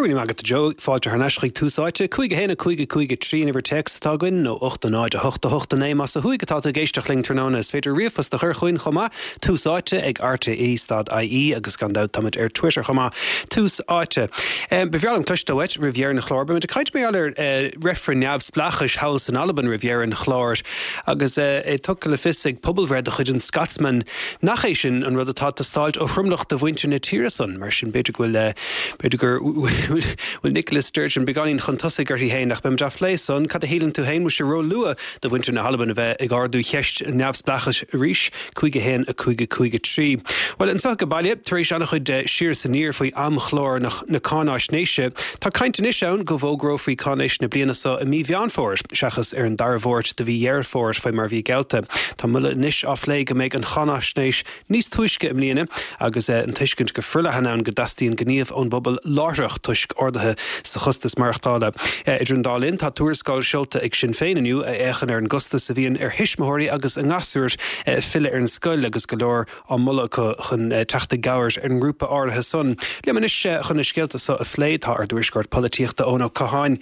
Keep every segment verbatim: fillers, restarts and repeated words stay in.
Go raibh míle maith agat, Joe. Fáilte thar n-ais chuig Tús Áite, cúig a haon a cúig a cúig a trí an uimhir téacs atá againn, nó ocht a náid a hocht a hocht a naoi más ó thuaidh atá tú ag éisteacht linn tráthnóna. Is féidir ríomhphost a chur chugainn chomh maith, Tús Áite ag R T E stad I E, agus gan dabht táimid ar Twitter chomh maith. Tús Áite. Ba bhreá liom cloisteáil uait roimh dheireadh an chláir. Beimid ag caint mar gheall ar reifreann neamhspleáchais thall san Albain roimh dheireadh an chláir, agus é tugtha le fios ag pobalbhreith de chuid an Scotsman nach é sin an rud atá ag teastáil ó thromlach de mhuintir na tíre san. Mar sin b'fhéidir go bhfuil b'fhéidir gur bhfuil Nicola Sturgeon beagáinín chun tosaigh uirthi féin, ach beimid á phlé san. Cad a shíleann tú féin? Bhfuil sé róluath do mhuintir na hAlban a bheith ag ardú cheist neamhspleáchais arís? Cúig a haon a cúig a cúig a trí. Well, anseo go baile, tar éis an-chuid siar is aniar faoi amchlár na, na cáináisnéise, tá caint anois ann go bhfógrófaí cáináisnéis na bliana seo i mí Mheán Fómhair, seachas ar an dara Máirt de mhí Dheireadh Fómhair faoi mar bhí geallta. Tá moladh anois á phlé go mbeidh an cháináisnéis níos túisce i mbliana, agus an tuiscint go forleathan ann go dteastaíonn gníomh ón bpobal láithreach toisc arduithe sa chostas maireachtála. Idir an dá linn, tá tuarascáil seolta ag Sinn Féin inniu a fhéachann ar an gcostas a bhíonn ar thuismitheoirí agus a ngasúir filleadh ar an scoil, agus go leor á moladh acu chun teacht i gcabhair ar an ngrúpa áirithe san. Liom anois chun na scéalta seo a phlé tá ár dtuairisceoir polaitíochta, Eoin Ó Catháin.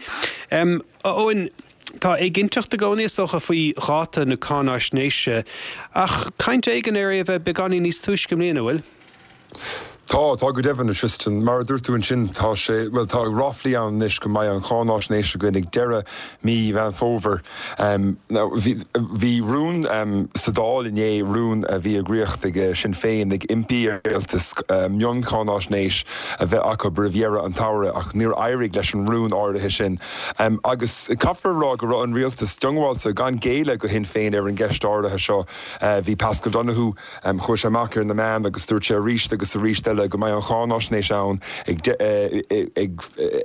Um, Eoin, tá éiginnteacht i gcónaí, is dócha, faoi dháta na cáináisnéise, ach caint éigin ar é a bheith beagáinín níos túisce i mbliana, bhfuil? Tá tá go deimhin, Tristan. Mar a dúirt tú ansin, tá sé, well, tá ráflaí ann anois go mbeidh an cháináisnéis againn ag deireadh mí Mheán Fómhair. Um, bhí rún um, sa Dáil inné, rún a bhí eagraithe ag Sinn Féin, ag impí ar an rialtas um, mioncháináisnéis a bheith acu roimh dheireadh an tsamhraidh, ach níor éirigh leis an rún áirithe sin. Um, agus caithfear rá go raibh an rialtas diongbháilte gan géilleadh do Shinn Féin ar an gceist áirithe seo. Uh, bhí Pascal Donoghue, um, chuaigh sé amach ar na meáin agus dúirt sé arís agus arís eile go mbeidh an cháináisnéis ann ag, ag,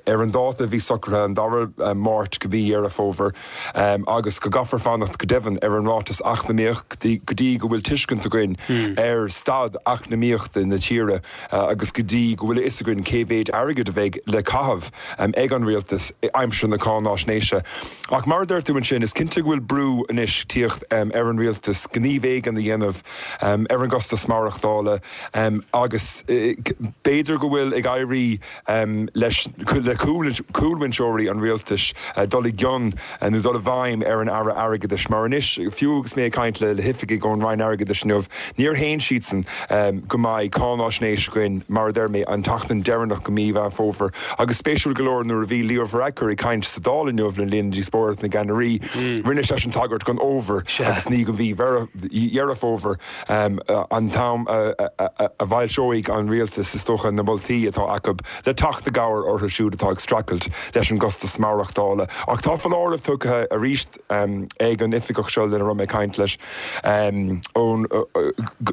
ar an dáta bhí socraithe, an dara Máirt de mhí Dheireadh Fómhair, um, agus go gcaithfear fanacht go deimhin ar an ráiteas eacnamaíoch go dtí go bhfuil tuiscint againn mm. ar staid eacnamaíochta na tíre uh, agus go dtí go bhfuil a fhios againn cé mhéid airgead a bheidh le caitheamh um, ag an rialtas aimsir na cáináisnéise. Ach mar dúirt tú ansin, is cinnte go bhfuil brú anois ag tíocht um, ar an rialtas gníomh éigin a dhéanamh um, ar an gcostas maireachtála, um, agus b'fhéidir go bhfuil ag éirí um, leis le cúlbhinseoirí an rialtais uh, dul i gcion uh, nó dul i bhfeidhm ar an Aire Airgeadais, mar anois, fiú agus mé ag caint le le hoifigigh ón Roinn Airgeadais inniu, níor shéan siadsan um, go mbeidh cáináisnéis againn, mar a deir mé, an tseachtain deireanach de mhí Mheán Fómhair. Agus spéisiúil go leor, nuair a bhí Leo Varadkar ag caint sa Dáil inniu le linn díospóireacht na gceannairí, mm. rinne sé an tagairt don fhómhar agus ní don mhí Dheireadh Fómhair, um, an t-am a bhfoilseoidh an rialtas, is dócha, na moltaí atá acu le teacht i gcabhair orthu siúd atá ag streachailt leis an gcostas maireachtála. Ach tá foláireamh tugtha arís um, ag an oifigeach seo lena raibh mé ag caint leis um, ón, uh,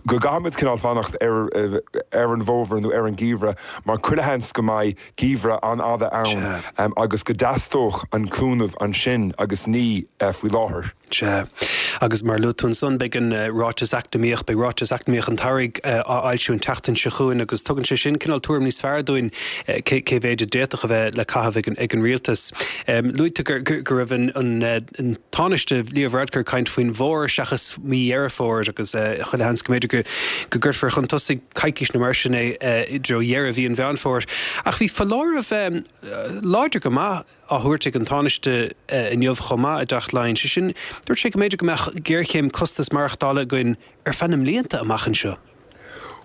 go gcaithfimid cineál fanacht ar, ar an bhfómhar nó ar an ngeimhreadh, mar chuile sheans go mbeidh geimhreadh an-fhada ann um, agus go dteastódh an cúnamh ansin agus ní uh, faoi láthair. Sea. Agus mar luaigh tú ansan, beidh an ráiteas eacnamaíoch, beidh ráiteas eacnamaíoch an tsamhraidh á fhoilsiú an tseachtain seo chugainn, agus tugann sé sin cineál tuairim níos fearr dúinn cé mhéid a d'fhéadfadh a bheith le caitheamh ag an rialtas. Luaigh tú go raibh an Tánaiste Leo Varadkar ag caint faoin bhfómhar seachas mí Dheireadh Fómhair, agus chuile sheans go mb'fhéidir go gcuirfear chun tosaigh coicís nó mar sin é i dtreo dheireadh mhí an Mheán Fómhair. Ach bhí foláireamh láidir go maith á thabhairt ag an Tánaiste inniu chomh maith i dTeach Laighean. Sé sin, dúirt sé go mb'fhéidir go mbeadh géarchéim costas maireachtála againn ar feadh na mblianta amach anseo.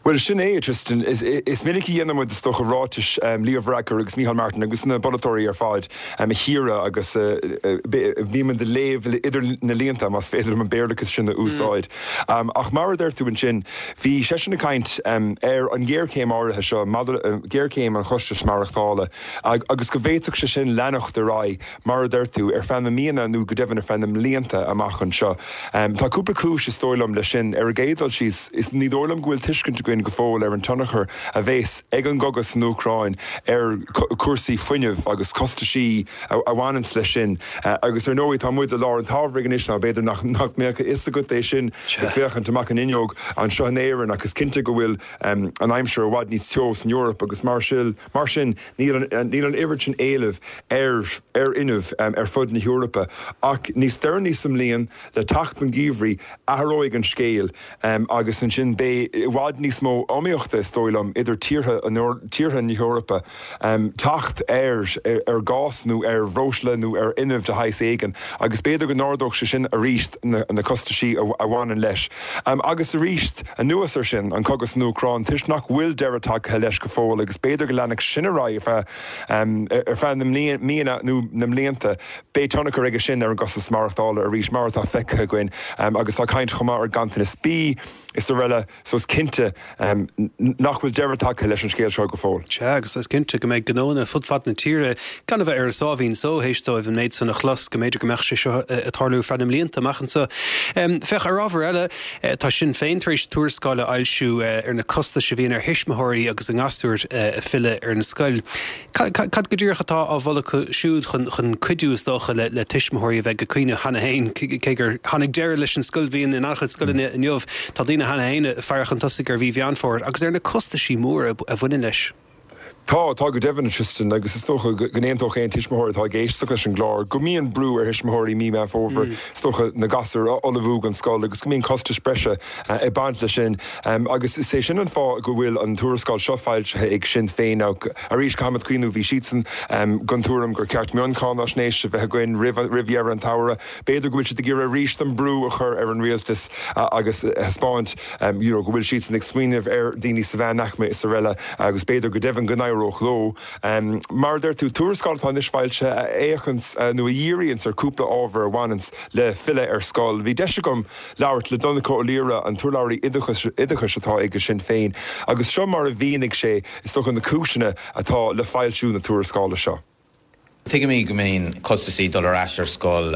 Well, sin é, Tristan. Is, is minic a dhéanaimid, is dócha, ráitis um, Leo Varadkar agus Micheál Martin agus na polaiteoirí ar fad um, a chíoradh agus uh, uh, bímid ag léamh idir na línte, más féidir an Béarlachas sin a úsáid. Mm. Um, ach mar a deir tú ansin, bhí seisean ag caint um, ar an ghéarchéim áirithe seo, uh, géarchéim an chostais maireachtála, agus go bhféadfadh sé sin leanacht ar aghaidh, mar a deir tú, ar feadh na míonna nó go deimhin ar feadh na mblianta amach anseo. Um, tá cúpla cúis, is dóigh liom, leis sin. Ar an gcéad dul síos, is ní dóigh liom go bhfuil tuiscint againn go fóill ar an tionchar a bheas ag an gcogadh san Úcráin ar cúrsaí fuinnimh agus costaisí a bhaineanns leis sin. Agus ar ndóigh tá muid i lár an tsamhraidh anois ná b'fhéidir nach nach mbeadh a fhios agat é sin ag féachaint amach an fhuinneog anseo in Éirinn, agus cinnte go bhfuil um, an aimsir i bhfad níos teo san Eoraip, agus mar sin mar sin níl an, níl an oiread sin éilimh ar ar fhuinneamh um, ar fud na hEorpa. Ach níos deireanaí sa mbliain, le teacht an gheimhridh, athróidh an scéal um, agus ansin beidh i bhfad níos mó iomaíochta, is dóigh liom, idir tíortha tíortha na hEorpa teacht ar ar ghás nó ar bhreosla nó ar fhuinneamh de shaghas éigin, agus b'fhéidir go n-ardódh sé sin arís na costaisí a bhaineann leis. Agus arís, anuas air sin, an cogadh san Úcráin, toisc nach bhfuil deireadh tagtha leis go fóill agus b'fhéidir go leanfadh sin ar aghaidh ar feadh ar feadh na míonna nó na mblianta, beidh tionchar aige sin ar an gcostas maireachtála arís, mar atá feicthe againn. Agus tá caint chomh maith ar ganntanas bídh is araile, so is cinnte nach bhfuil deireadh tagtha leis an scéal seo go fóill. Sea, agus is cinnte go mbeidh gnónna fud fad na tíre gan a bheith ar a sáimhín só théis dóibh an méid san a chlos, go mb'fhéidir go mbeadh sé seo ag tarlú ar feadh na mblianta amach anseo. Féach, ar ábhar eile, tá Sinn Féin tar éis tuarascáil a fhoilsiú ar na costais a bhíonn ar thuismitheoirí agus a ngasúir ag filleadh ar an scoil. Cad go díreach atá á mholadh acu siúd chun cuidiú, is dócha, le tuismitheoirí a bheith ag caoineadh cheana féin, cé gur tháinig deireadh leis an scoilbhliain in an-chuid scoileanna inniu, tá daoine cheana féin ag faire chun tosaigh ar mhí Mheán Fómhair agus ar na costaisí móra a bhaineann leis. Tá, tá go deimhin, a Tristan, agus is dócha go n-aontódh aon tuismitheoir atá ag éisteacht leis an gclár go mbíonn brú ar thuismitheoirí mí Meán Fómhair, is dócha, na gasúir a ullmhú don scoil agus go mbíonn costais breise ag baint leis sin. Agus is é sin an fáth go bhfuil an tuarascáil seo foilsithe ag Sinn Féin. Now, arís, caithfimid cuimhniú, bhí siadsan den tuairim gur ceart mioncháinaisnéis a bheith againn roimh dheireadh an tsamhraidh. B'fhéidir go bhfuil siad ag iarraidh arís an brú a chur ar an rialtas agus a thaispeáint you know go bhfuil siadsan ag smaoineamh ar daoine sa mheánaicme is araile agus b'fhéidir go deimhin go n-éireodh leo. Mar a deir tú, tuarascáil atá anois foilsithe a fhéachanns nó a dhíríonns ar cúpla ábhar a bhaineanns le filleadh ar scoil. Bhí deis agam labhairt le Donncha Ó Laoire, an t-urlabhraí oideachais atá ag Sinn Féin, agus seo mar a mhínigh sé, is dócha, na cúiseanna atá le foilsiú na tuarascála seo. Tuigimid go mbíonn costasaí dul ar ais ar scoil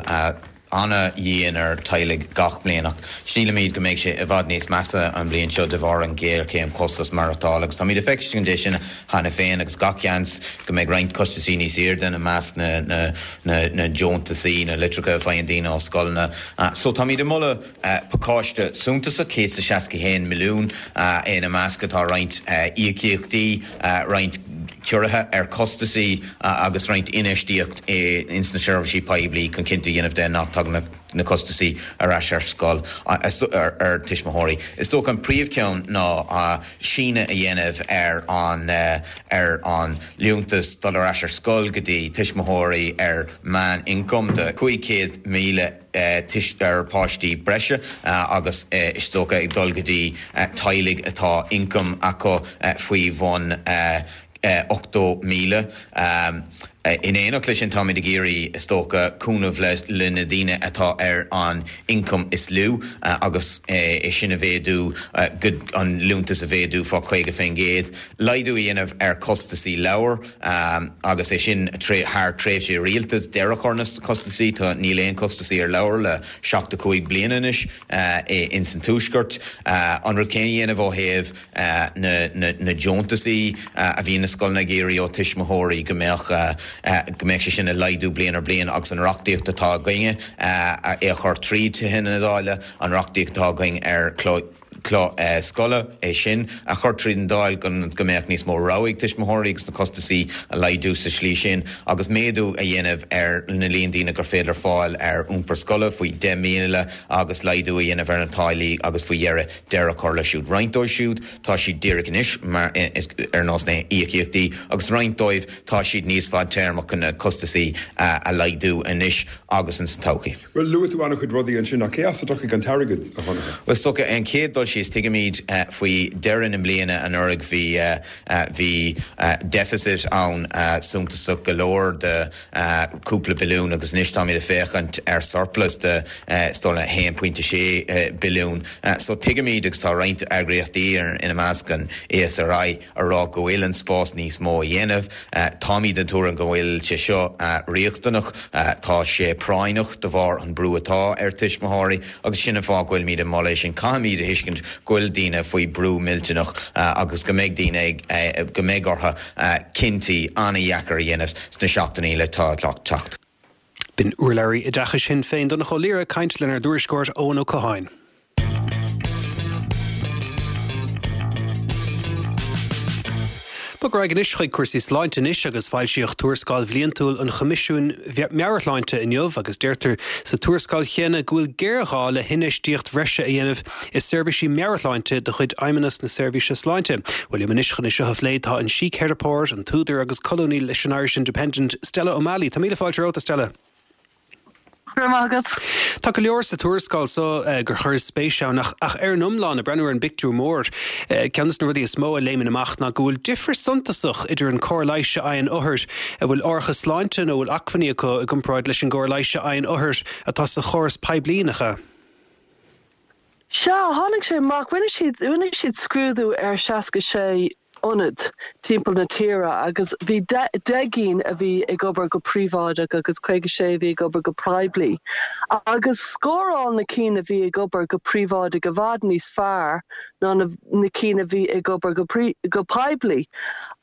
ana-dhian ar teaghlaigh gach bliain ach sílimid go mbeidh sé i bhfad níos measa an bhliain seo de bharr an ghéarchéim costas maireachtála agus táimid ag feiscint é sin cheana féin agus gach seans go mbeidh roinnt costasaí níos airde ina measc na na na na deontasaí, na litreacha a faigheann daoine ó scoileanna. So táimid ag moladh pacáiste suntasach, céad is seasca haon milliún, ina measc atá roinnt íocaíochtaí, roinnt ciorruithe ar chostasaí agus roinnt infheistíocht ins na seirbhísí poiblí chun cinnte a dhéanamh de nach dtagann na costasaí ar ais ar scoil ar tuismitheoirí. Is dócha an príomhcheann ná síneadh a dhéanamh ar an ar an liúntas dul ar ais ar scoil go dtí tuismitheoirí ar meán-ioncam de cúig chéad míle ar páistí breise agus is dócha ag dul go dtí teaghlaigh atá ioncam acu faoi bhun ochtó míle. In éineacht leis sin táimid ag iarraidh, is dócha, cúnamh le na daoine atá ar an ioncam is lú agus é sin a mhéadú, an liúntas a mhéadú fá caoga faoin gcéad, laghdú a dhéanamh ar chostasaí leabhar agus é sin thar tréimhse rialtais, deireadh a chur na costasaí, tá níl aon costasaí ar leabhar le seachtó cúig bliana anois ins an Tuaisceart. An rud céanna a dhéanamh ó thaobh na deontasaí a bhíonn na scoileanna ag iarraidh ó tuismitheoirí go mbeadh go mbeadh sé sin ag laghdú bliain ar bhliain agus an reachtaíocht atá againne é a chur tríd Tithe na Dála, an reachtaíocht atá againn ar cló scoile, é sin a chur tríd an Dáil go mbeadh níos mó rogha ag tuismitheoirí agus na costasaí a laghdú sa slí sin agus méadú a dhéanamh ar na líon daoine gur féidir fáil ar iompar scoile faoi deich míle agus laghdú a dhéanamh ar na táillí agus faoi dheireadh deireadh a chur leis siúd. Roinnt dóibh siúd tá siad díreach anois mar ar nós na híocaíochtaí agus roinnt dóibh tá siad níos fadtéarmach chun na costasaí a laghdú anois agus insa todhchaí. Bhuel, luaigh tú an-chuid rudaí ansin ach cé as a dtiocfaidh an t-airgead, a Dhonncha? Bhuel, is dócha, an chéad dul síos, tuigimid faoi dheireadh na bliana anuraidh bhí bhí deficit ann suntasach go leor de cúpla billiún agus anois táimid ag féachaint ar surplus de is dóigh liom a haon pointe sé billiún. So tuigimid agus tá roinnt eagraíochtaí ina measc an ESRI a rá go bhfuil an spás níos mó a dhéanamh. Táimid den tuairim go bhfuil sé seo riachtanach, tá sé práinneach de bharr an brú atá ar tuismitheoirí agus sin an fáth go bhfuilimid ag moladh é sin. Caithfimid a thuiscint go bhfuil daoine faoi brú millteanach agus go mbeidh daoine ag, go mbeidh orthu cinntí an-dheacair a dhéanamh sna seachtainí le teacht. B'in urlabhraí oideachais Shinn Féin, Donncha Ó Laoire, ag caint lenár dtuairisceoir Eoin Ó Catháin. Bog ar aghaidh anois chuig cúrsaí sláinte anois agus foilsíodh tuarascáil bhliantúil an Choimisiúin Meabhairshláinte inniu agus deirtear sa tuarascáil chéanna go bhfuil géarghá le hinfheistíocht bhreise a dhéanamh i seirbhísí meabhairshláinte de chuid Fheidhmeannas na Seirbhíse Sláinte. Bhuel liom anois chun é seo a phlé tá an síceiripeoir, an t-údar agus colúnaí leis an Irish Independent, Stella O'Malley. Tá míle fáilte romhat, a Stella. Go raibh maith agat. Tá go leor sa tuarascáil so gur chuir spéis ann ach ach ar an iomlán ag breathnú ar an bpictiúr mór, ceann de na rudaí is mó a léimeann amach ná go bhfuil difear suntasach idir an cóir leighis a fhaigheann othair a bhfuil árachas sláinte nó bhfuil acmhainní acu i gcomparáid leis an gcóir leighis a fhaigheann othair atá sa chóras poiblí, nach ea? Sea, tháinig sé amach, rinne siad, rinne siad scrúdú ar seasca sé ionad timpeall na tíre agus bhí deich gcinn a bhí ag obair go príobháideach agus caoga sé a bhí ag obair go poiblí. Agus scóráil na cinn a bhí ag obair go príobháideach i bhfad níos fearr ná na na cinn a bhí ag obair go go poiblí.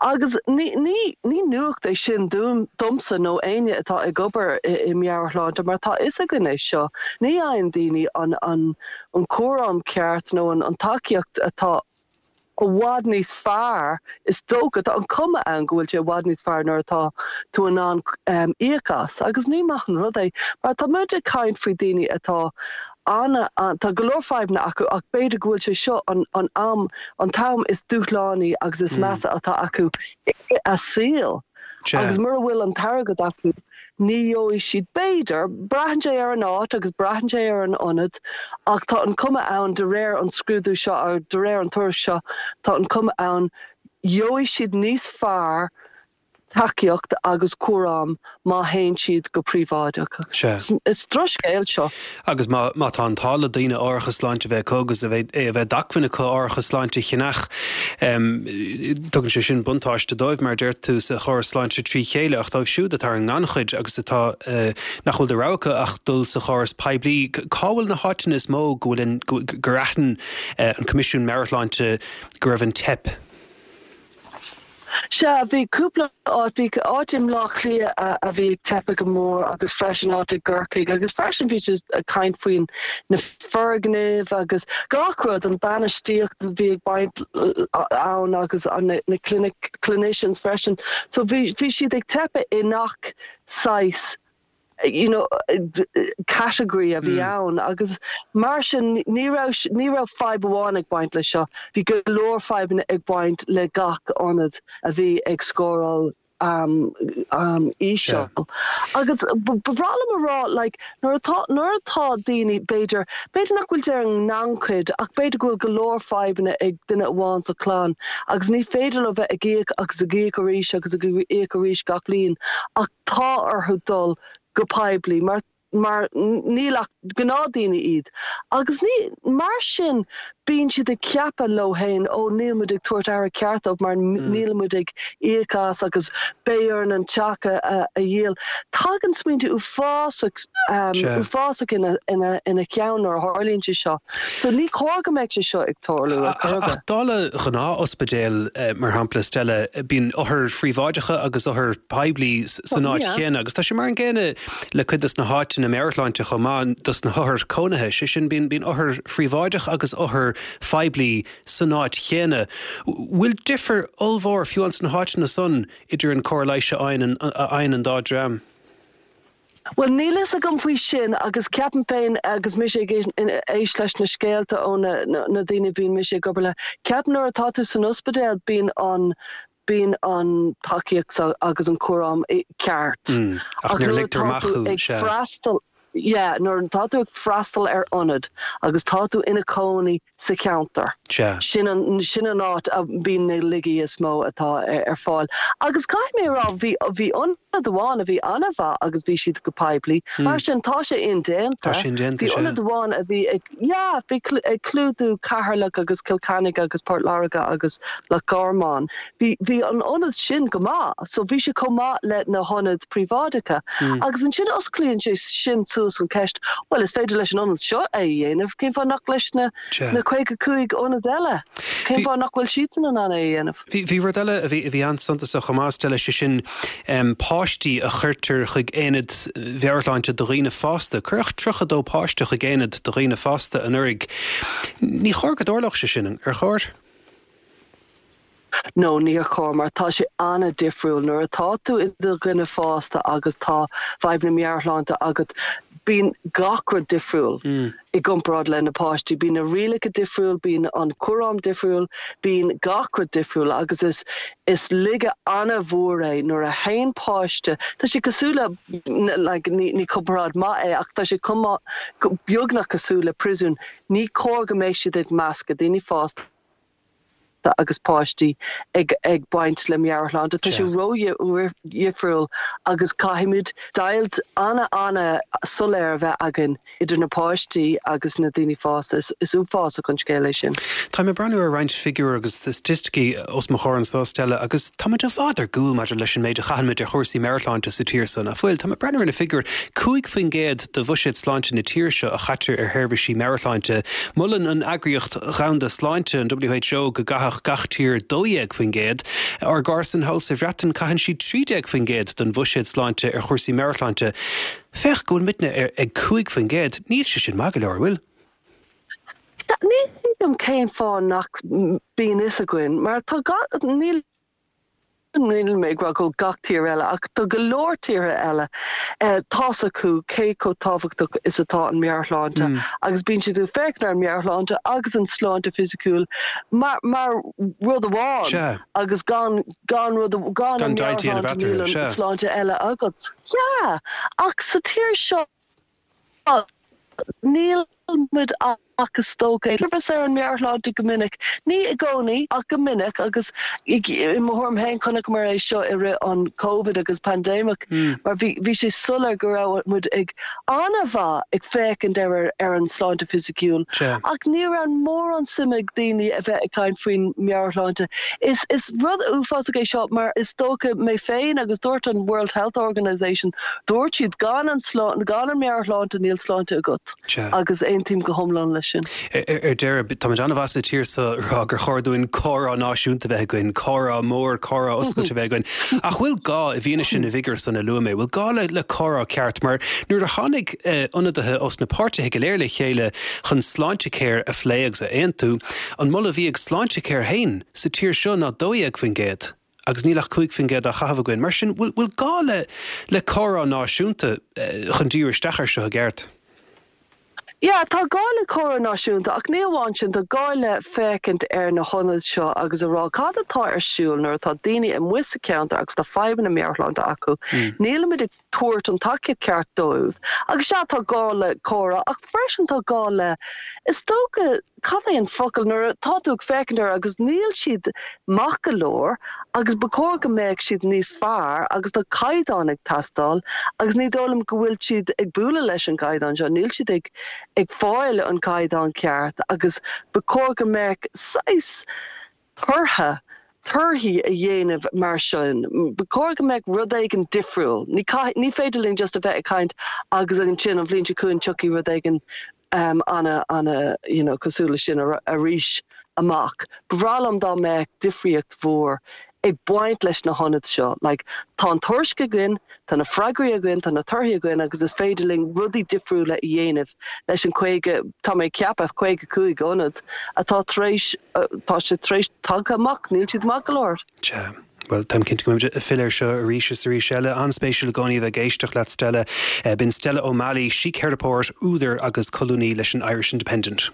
Agus ní ní ní nuacht é sin domsa nó éinne atá ag obair i i meabhairshláinte mar tá fhios againn é seo, ní fhaigheann daoine an an an cúram ceart nó an an tacaíocht atá i bhfad níos fearr, is dócha, tá an cuma ann go bhfuil sé i bhfad níos fearr nuair atá tú in ann íoc as. Agus ní maith an rud é, mar tá muid ag caint faoi daoine atá ana, tá go leor fadhbanna acu ach b'fhéidir go bhfuil sé seo an an am, an t-am is dúshlánaí agus is measa atá acu i a saol. Agus mura bhfuil an t-airgead acu, ní gheobhaidh siad, b'fhéidir, braitheann sé ar an áit agus braitheann sé ar an ionad, ach tá an cuma ann, de réir an scrúdú seo, de réir an tuairisc seo, tá an cuma ann, gheobhaidh siad níos fearr tacaíocht agus cúram má théann siad go príobháideach. Is drochscéal seo. Agus má má tá an t-ádh le daoine árachas sláinte a bheith acu agus a bheith é a bheith d'acmhainn acu árachas sláinte a cheannach, tugann sé sin buntáiste dóibh, mar a deir tú, sa chóras sláinte trí chéile, ach dóibh siúd atá ar an ngannchuid agus atá nach bhfuil de rogha acu ach dul sa chóras poiblí, cá bhfuil na háiteanna is mó go bhfuil an gur aithin an Coimisiún Meabhairshláinte go raibh an teip? Sea, bhí cúpla áit, bhí áit i mBleá Cliath a bhí ag teipeadh go mór agus freisin áit i gCorcaigh agus freisin bhí siad ag caint faoin na foirgnimh agus gach rud, an bainistíocht a bhí ag baint ann agus na clinic, clinicians freisin. So bhí, bhí siad ag teipeadh i ngach saghas you know, category a bhí ann agus mar sin ní raibh, ní raibh fadhb amháin ag baint leis seo, bhí go leor fadhbanna ag baint le gach ionad a bhí ag scóráil um, um, íseal. Agus ba bhreá liom a rá like, nuair atá, nuair atá daoine b'fhéidir, b'fhéidir nach bhfuil siad ar an ngannchuid ach b'fhéidir go bhfuil go leor fadhbanna ag duine amháin sa chlann agus ní féidir leo bheith ag íoc agus ag íoc arís agus ag íoc arís gach bliain ach tá orthu dul go poiblí mar mar níl ach gnáthdaoine iad agus ní mar sin bíonn siad ag ceapadh leo féin ó níl muid ag tabhairt aire ceart dóibh mar níl muid ag íoc as agus beidh orainn an teach a a dhíol. Tagann smaointe uafásach uafásach ina ina ina cheann nuair a tharlaíonn sé seo. So ní cóir go mbeadh sé seo ag tarlú ar chor ar bith. Ach dála ghnáth-ospidéal mar shampla Stella, bíonn othair phríobháideacha agus othair poiblí san áit chéanna agus tá sé mar an gcéanna le cuid de na háiteanna meabhairshláinte chomh maith dos na hothair cónaithe, sé sin bíonn bíonn othair phríobháideach agus othair phoiblí san áit chéanna. Bhfuil difear ollmhór fiú ins na háiteanna san idir an cóir leighis a fhaigheann a fhaigheann an dá dream? Bhuel, níl fhios agam faoi sin agus ceapaim féin agus mise ag éist leis na scéalta ó na na daoine a bhíonn mise ag obair le, ceapaim nuair atá tú san ospidéal bíonn an bíonn an tacaíocht agus an cúram ceart. Ach nuair a ligtear amach thú, ag freastal, yeah, nuair atá tú ag freastal ar ionad agus tá tú ina cónaí sa cheantar, sin an, sin an áit a bíonn na laigí is mó atá ar fáil. Agus caithfidh mé a rá, bhí, bhí ionad amháin a bhí an-mhaith agus bhí siad go poiblí, mar sin tá sé indéanta. Tá sé indéanta, Bhí ionad amháin a bhí ag, yeah, bhí ag clúdú Ceatharlach agus Cill Chainnigh agus Port Láirge agus Loch Garman. Bhí, bhí an ionad sin go maith, so bhí sé chomh maith le na hionaid príobháideacha. Agus ansin osclaíonn sé sin suas an ceist, bhuel is féidir leis an ionad seo é a dhéanamh, cén fáth nach leis na, na caoga cúig ionad eile? Cén fáth nach bhfuil siadsan in ann é a dhéanamh? Bhí, bhí rud eile a bhí, a bhí an-suntasach chomh maith, Stella, sé sin páistí a chuirtear chuig aonaid mheabhairshláinte do dhaoine fásta. Cuireadh tríocha dó páiste chuig aonad do dhaoine fásta anuraidh. Ní chóir go dtarlódh sé sin, ar chóir? No, níor chóir mar tá sé an-difriúil nuair atá tú i do dhuine fásta agus tá fadhbanna meabhairshláinte agat, bíonn gach rud difriúil mm. i gcomparáid le na páistí, bíonn na rialacha difriúil, bíonn an cúram difriúil, bíonn gach rud difriúil agus is is laige an-mhór é nuair a théann páiste, tá sé cosúil le like, ní, ní comparáid maith é ach tá sé cuma beagnach cosúil le príosún, ní cóir go mbeidh siad ag meascadh daoine fásta agus páistí ag ag baint le meabhairshláinte. Tá sé ró-dhifriúil agus caithfimid deighilt an-an-soiléir a bheith againn idir na páistí agus na daoine fásta. Is, is uafásach an scéal é sin. Tá mé ag breathnú ar roinnt figiúr agus staitisticí os mo chomhair anseo Stella agus táimid i bhfad ar gcúl maidir leis an méid a chaithimid ar chúrsaí meabhairshláinte sa tír seo nach bhfuil. Tá mé ag breathnú ar na figiúir cúig faoin gcéad de bhuiséad sláinte na tíre seo a chaitear ar sheirbhísí meabhairshláinte. Molann an Eagraíocht Dhomhanda Sláinte an WHO go gcaithfeadh gach tír dó dhéag faoin gcéad. Ár gcomharsain thall sa Bhreatain caitheann siad trí déag faoin gcéad den bhuiséad sláinte ar chúrsaí meabhairshláinte. Féach go bhfuil muidne ar ag cúig faoin gcéad, níl sé sin maith go leor, bhfuil? Ní thuigim cén fáth nach mbíonn fhios againn, mar tá níl níl mé ag rá go gach tír eile ach tá go leor tíortha eile tá's acu cé chomh tábhachtach is atá an meabhairshláinte mm. agus bíonn siad ag féachaint ar an meabhairshláinte agus an sláinte fisiciúil mar mar rud amháin agus gan gan rud gan an meabhairshláinte níl an sláinte eile agat. Yeah, ach sa tír seo níl muid ach is dócha é ar an meabhairshláinte go minic. Ní i gcónaí ach go minic agus i mo thuairim féin chonaiceamar é seo i rith an COVID agus pandemic mm. mar bhí bhí sé soiléir go raibh muid ag an-mhaith ag féachaint ar ar an sláinte fisiciúil. Ach ní raibh mórán suim ag daoine a bheith ag caint faoin meabhairshláinte. Is is rud uafásach é seo mar is dócha mé féin agus dúirt an World Health Organization dúirt siad gan an gan an meabhairshláinte níl sláinte agat. Agus aontaím go hiomlán leis sin. Ar deireadh tá an-mhaith sa tír seo rá gur chóir dúinn comhrá náisiúnta bheith againn, comhrá mór comhrá oscailte bheith againn. Ach bhfuil gá i bhfianaise na bhfigiúr san a luaigh mé, bhfuil gá le le comhrá ceart, mar nuair a tháinig eh, ionadaithe os na páirtithe go léir le chéile chun Sláintecare a phlé agus a aontú, an moladh a bhí ag Sláintecare féin sa tír seo ná dó dhéag faoin gcéad. agus níl ach cúig faoin gcéad á chaitheamh againn. Mar sin bhfuil bhfuil gá le le comhrá náisiúnta eh, chun díriú isteach air seo i gceart. Ja, tá gá le comhrá náisiúnta ach ní amháin sin tá gá le féachaint ar na hionaid seo agus a rá cad atá ar siúl nuair atá daoine amuigh sa cheantar agus tá fadhbanna meabhairshláinte acu. Mm. Nílimid ag tabhairt an tacaíocht ceart dóibh. Agus sea tá gá le comhrá ach freisin tá gá le is dócha cad é an focal nuair atá tú ag féachaint air agus níl siad maith go leor agus ba chóir go mbeadh siad níos fearr agus tá caighdeán ag teastáil agus ní dóigh liom go bhfuil siad ag bualadh leis an gcaighdeán seo, níl siad ag ag fáil an caighdeán ceart agus ba chóir go mbeadh saghas tortha torthaí a dhéanamh mar sin. Ba chóir go mbeadh rud éigin difriúil. Ní ní féidir linn just a bheith ag caint agus ansin an bhliain seo chugainn tiocfaidh rud éigin um, ana ana you know, cosúil leis sin arís amach. Ba bhreá liom dá mbeadh difríocht mhór ag baint leis na hionaid seo. Like, tá an tuairisc againn, tá na freagraí againn, tá na torthaí againn agus is féidir linn rudaí difriúla a dhéanamh leis an caoga tá mé ag ceapadh caoga cúig ionad atá tar éis tá sé tar éis tagtha amach, níl siad maith go leor. Sea. Bhuel, táim cinnte go mbeimid ag filleadh air seo arís is arís eile. An-spéisiúil i gcónaí a bheith ag éisteacht leat, Stella. B'in Stella O'Malley, síctheiripeoir, údar agus colúnaí leis an Irish Independent.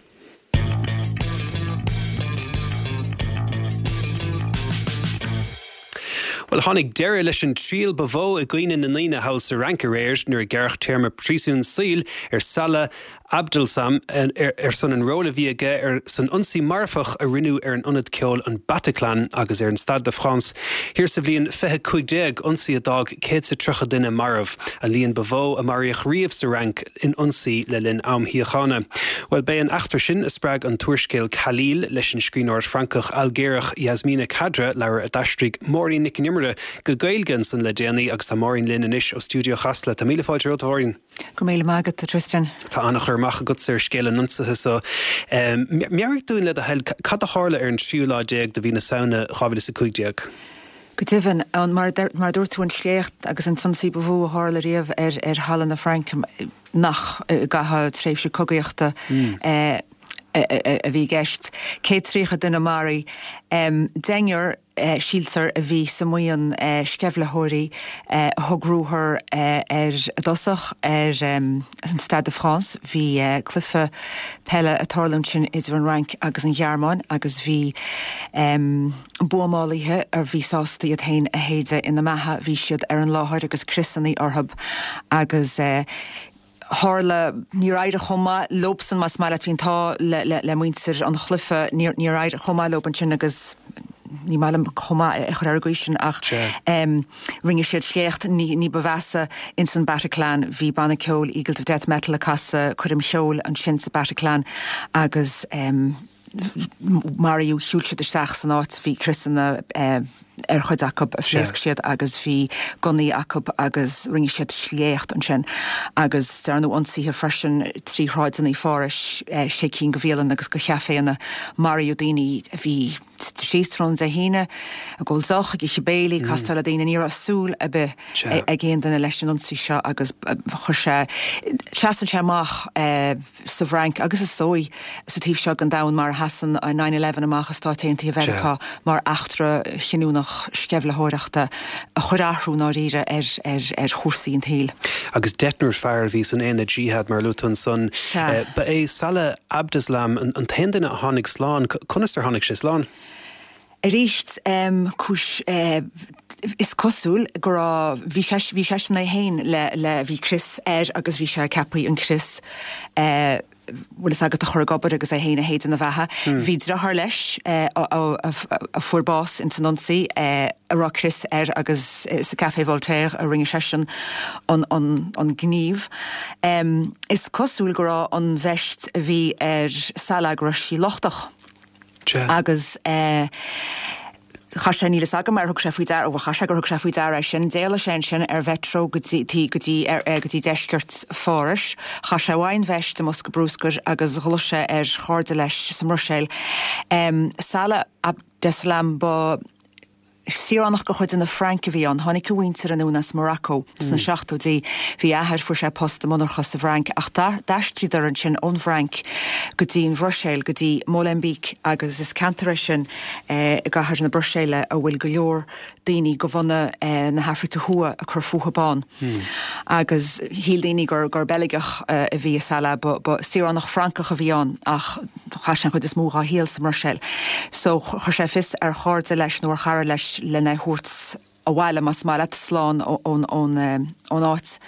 Bhuel, tháinig deireadh leis an triail ba mhó i gcuimhne na ndaoine thall sa Fhrainc aréir nuair a gearradh téarma príosúin saoil ar Salah Abdeslam ar son an ról a bhí aige ar san ionsaí marfach a rinneadh ar an ionad ceoil an Bataclan agus ar an Stade de France thiar sa bhliain fiche cúig déag, ionsaí a d'fhág céad 's a tríocha duine marbh, an líon ba mhó a maraíodh riamh sa Fhrainc in ionsaí le linn am shíochána. Bhuel, b'é an eachtra sin a spreag an t-úrscéal Khalil leis an scríbhneoir Francach-Ailgéarach Yasmina Khadra, leabhar a d'aistrigh Máirín Nic an Iomaire go Gaeilge ansan le déanaí agus tá Máirín linn anois ó stiúideo Chasla. Tá míle fáilte romhat, a Mháirín. Go raibh míle maith agat, a Tristan. Tá an-chur amach agatsa ar scéal an ionsaithe so. Meabhraigh dúinn le do thoil, cad a tharla ar an tríú lá déag de mhí na Samhna dhá mhíle is a cúig déag? Go deimhin, mar a dúirt tú, an sléacht agus an t-ionsaí ba mhó a tharla riamh ar thalamh na Fraince nach i gcaitheamh tréimhse cogaíochta. a bhí i gceist. Céad tríocha duine maraithe. Deichniúr, síltear, a bhí sa mbuíon sceimhlitheoirí a thug ruathar ar dtosach ar an Stade de France. Bhí cluiche peile ag tarlú ansin idir an Fhrainc agus an Ghearmáin agus bhí buamálaithe a bhí sásta iad féin a shéideadh ina mbeatha, bhí siad ar an láthair agus criosanna orthu agus tharla, níor éirigh chomh maith leobsan más maith leat, bhí an t-ádh le, le muintir an chluiche, níor, níor éirigh chomh maith leob ansin agus ní maith liom chomh maith a chur ar an gcaoi sin ach rinne siad sléacht ní, ní ba mheasa ins an Bataclan. Bhí banna ceoil Eagles of Death Metal ag casadh coirm cheoil ansin sa Bataclan agus maraíodh, shiúil siad isteach san áit, bhí criosanna ar chuid acu a phléasc siad agus bhí gunnaí acu agus rinne siad sléacht ansin. Agus dearnadh ionsaithe freisin trí shráideanna Phárais, sé cinn de bhialanna agus de chaiféanna, maraíodh daoine a bhí síos tráthnóna Dé hAoine, ag ól deoch, ag ithe béilí, ag castáil le daoine, ní raibh súil ar bith ag aon duine leis an ionsaí seo agus chuir sé, seasann sé amach sa bhFrainc agus is dóigh sa taobh seo den domhan mar a sheasann nine eleven amach i Stáit Aontaithe Mheiriceá mar eachtra chinniúnach sceimhlitheoireachta a chuir athrú ndáiríre ar ar ar chúrsaí an tsaoil. Agus deichniúr fear a bhí san aonad Jihad mar a luaigh tú ansan. Ba é Salah Abdeslam an t-aon duine a tháinig slán. Conas ar tháinig sé slán? Arís, cúis, is cosúil go raibh, bhí sé, bhí seisean é féin le, le, bhí crios air agus bhí sé ceaptha an crios, bhfuil fhios agat, a chur ag obair agus é féin a shéideadh ina bheatha. Bhí deartháir leis a fuair bás ins an ionsaí a raibh crios air agus sa Café Voltaire a rinne seisean an, an, an gníomh. Is cosúil go raibh an veist a bhí ar Salah go raibh sí lochtach. Agus chaith sé, níl fhios agam ar thug sé faoi deara, bhuel chaith sé gur thug sé faoi deara é sin, d'éalaigh sé ansin ar mheitreo go dtí, go dtí, go dtí deisceart Phárais, chaith sé uaidh an veist i mbosca bruscair agus ghlaoigh sé ar chairde leis sa mBruiséil. Salah Abdeslam, ba Saoránach de chuid na Fraince a bhí ann. Tháinig a mhuintir anonn as Morocco sna seachtóidí. Bhí a athair, fuair sé post i monarcha sa bhFrainc ach d'aistríodar ansin ón bhFrainc go dtí an Bhruiséil, go dtí Molenbeek agus is ceantar é sin i gcathair na Bruiséile a bhfuil go leor daoine de bhunadh na hAfraice Thuaidh ag cur fúthu ann. Agus shíl daoine gur gur Beilgeach a bhí i Salah, ba saoránach Francach a bhí ann ach chaith sé an chuid is mó dhá shaol sa mBruiséil. So chuir sé fios ar chairde leis nó ar chara leis lena thabhairt abhaile, más maith leat, slán ón ón áit.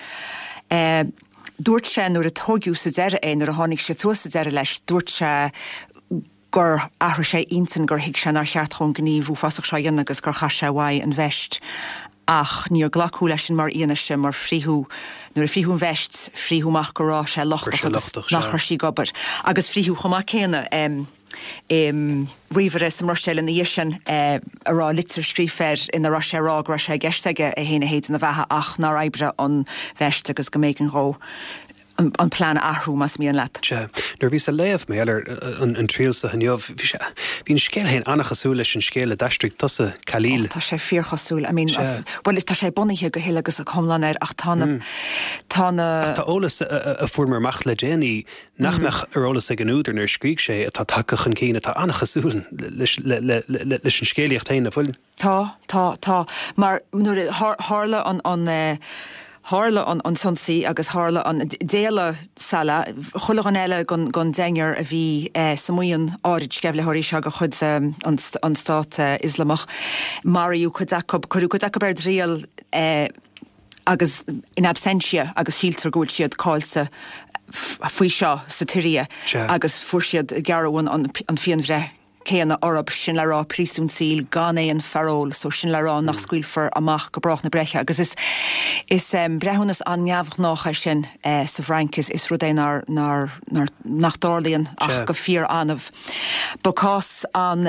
Dúirt sé nuair a tóigeadh sa deireadh é, nuair a tháinig siad suas sa deireadh leis, dúirt sé gur athraigh sé intinn, gur thuig sé nár cheart dhó an gníomh uafásach seo a dhéanamh agus gur chaith sé uaidh an veist. Ach níor glacadh leis sin mar fhianaise mar frítheadh, nuair a frítheadh an veist, frítheadh amach go raibh sé lochtach agus nach raibh sí ag obair. Agus frítheadh chomh maith céanna ríomhaire sa mBruiséil ina dhiaidh sin a raibh litir scríofa air ina raibh sé ag rá go raibh sé i gceist aige é féin a shéideadh ina bheatha ach nár oibrigh an veist agus go mb'éigean dhó an plean a athrú, más mian leat. Sea. Nuair a bhíos ag léamh mar gheall ar an triail seo inniu, bhí sé, bhí an scéal féin an-chosúil leis an scéal a d'aistrigh tusa, Khalil. Ó, tá sé fíorchosúil. I mean, bhuel, tá sé bunaithe go huile agus go hiomlán air ach tá na, tá na. Ach tá eolas a fuaireamar amach le déanaí nach mbeadh ar eolas ag an údar nuair a scrígh sé atá tagtha chun cinn atá an-chosúil leis an scéalaíocht féin, an bhfuil? Tá, tá, tá. Mar nuair a tharla an, an, tharla an an t-ionsaí agus tharla an, d'éalaigh Salah, chuile dhuine eile den den deichniúr a bhí sa mbuíon áirid sceimhlitheoirí seo de chuid an an Stát Ioslamach, maraíodh cuid acu, cuireadh cuid acu ar triail agus in absentia agus síltear go bhfuil siad caillte faoi seo sa tSiria agus fuair siad, gearradh an an phianbhreith céanna orthu, sin le rá príosún saoil gan aon pharole, so sin le rá nach scaoilfear amach go brách na breithe agus is is breithiúnas an-neamhghnách é sin sa bhFrainc, is is rud é nár nár nár nach dtarlaíonn ach go fíor-annamh. Ba cás an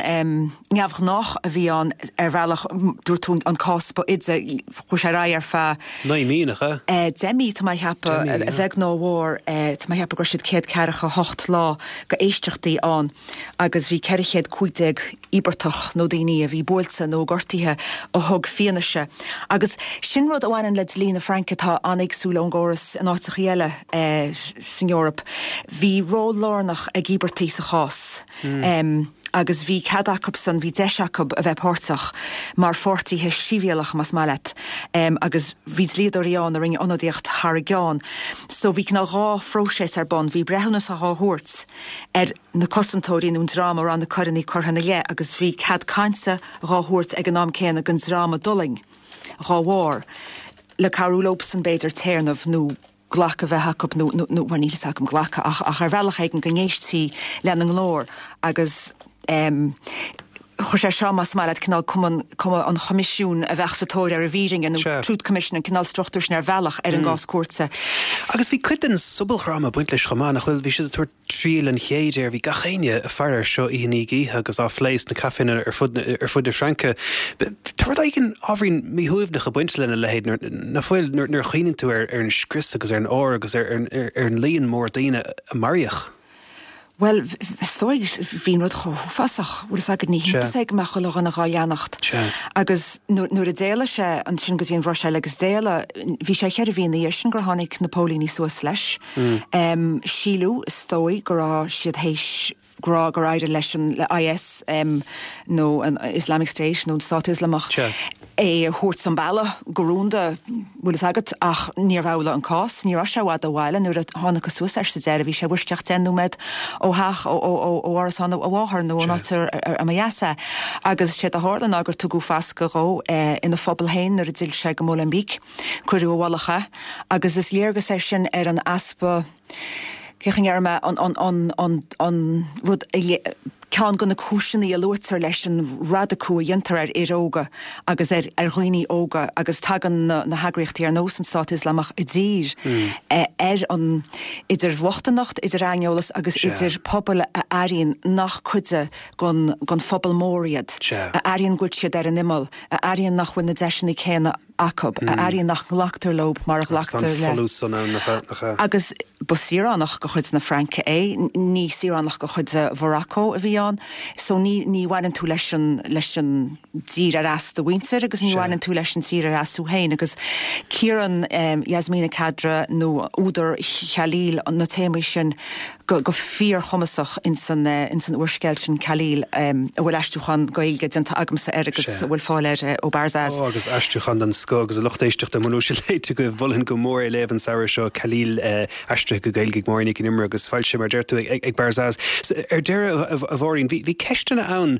neamhghnách a bhí ann ar bhealach, dúirt tú an cás ba fhaide, chuaigh sé ar aghaidh ar feadh. Naoi mí, nach ea? Deich mí, tá mé a cheapadh, a bheag nó a mhór, tá mé a cheapadh go raibh siad céad ceathracha hocht lá d'éisteachtaí ann. agus bhí ceithre chéad chéad cúig déag íobartach nó daoine a bhí buailte nó gortaithe a thug fianaise. Agus sin rud a bhaineann le dlí na Fraince atá an-éagsúil ón gcóras in áiteacha eile san Eoraip. Bhí ról lárnach ag íobartaigh sa chás. Mm. Agus bhí cead acusan, bhí deis acu a bheith páirteach mar pháirtithe sibhialtacha más maith leat. Um, agus bhí dlíodóirí ann a rinne ionadaíocht thar a gceann. So bhí cineál dhá phróiseas ar bun, bhí breithiúnas á thabhairt ar na cosantóirí nó an dream a raibh na coireanna curtha ina leith agus bhí cead cainte dhá thabhairt ag an am céanna don dream a d'fhulaing dhá bharr le cabhrú leosan b'fhéidir téarnamh nó glacadh a bheith acu nó nó bhuel níl fhios agam glacadh ach ach ar bhealach éigin go n-éistí lena nglór agus um, chuir sé seo más maith leat cineál cuma cuma an choimisiúin a bheadh sa tóir ar an bhfírinne nó Truth Commission an cineál struchtúr sin ar bhealach ar an gcás cúirte. Agus bhí cuid den sobaldhráma ag baint leis chomh maith, nach bhfuil? Bhí siad ag tabhairt triail an chéid air, bhí gach éinne ag faire air seo oíche i ndiaidh oíche agus á phlé sna caiféanna ar fud ar fud na Fraince. Tá rud éigin ábhairín míshuaimhneach ag baint lena leithéid nach bhfuil nuair a chuimhníonn tú ar ar an scrios agus ar an ár agus ar ar an líon mór daoine a maraíodh. Bhuel, is dóigh, bhí an rud chomh huafásach, bhfuil fhios agat, ní hiontas é go mbeadh chuile dhuine dhá leanacht. Agus nuair a d'éalaigh sé ansin go dtí an Bhruiséil agus d'éalaigh, bhí sé cheithre mhí ina dhiaidh sin gur tháinig na póilíní suas leis. Síleadh, is dóigh, go raibh siad théis go raibh gur éirigh leis an le IS nó an Islamic State nó an Stát Ioslamach é a thabhairt an bealach go rúnda, bhfuil fhios agat, ach níorbh amhlaidh an cás. Ní raibh sé i bhfad ó bhaile nuair a thángthas suas air sa deireadh, bhí sé i bhfoisceacht deich nóiméad ó theach, ó árasán a mháthar nó ón áit a mba dheas é. Agus séard a tharla ná gur tugadh fascadh dhó ina phobal féin nuair a d'fhill sé go Molenbeek. Cuireadh i bhfolach é agus is léargas é sin ar an easpa, cén chaoi a ndéarfaidh mé, an rud a, ceann de na cúiseanna a luaitear leis an radacú a dhéantar ar fhir óga agus ar ar dhaoine óga agus tagann na na heagraíochtaí ar nós an Stát Ioslamach i dtír ar an idir bhochtaineacht, idir aineolas agus idir pobail a airíonn nach cuid den den phobal mór iad, a airíonn go bhfuil siad ar an imeall, a airíonn nach bhfuil na deiseanna céanna acu, a airíonn nach nglactar leo mar a ghlactar le. Agus ba saoránach de chuid na Fraince é, ní saoránach de chuid Mhorocco a bhí ann, so ní ní bhaineann tú leis an leis an dtír ar as do mhuintir agus ní bhaineann tú leis an tír ar as tú féin agus cíorann Yasmina Khadra nó údar Khalil na téamaí sin go go fíorchumasach ins an ins an úrscéal sin Khalil a bhfuil aistriúchán Gaeilge déanta agamsa air agus a bhfuil fáil air ó Barzaz. Ó agus aistriúchán den scoth agus a lucht éisteachta mura bhfuil sé léite agaibh mholfainn go mór é a léamh an samhradh seo Khalil aistrithe go Gaeilge ag Máirín Nic an Iomaire agus foilsithe mar a deir tú ag Barzaz. Ar deireadh a Mháirín bhí bhí ceisteanna ann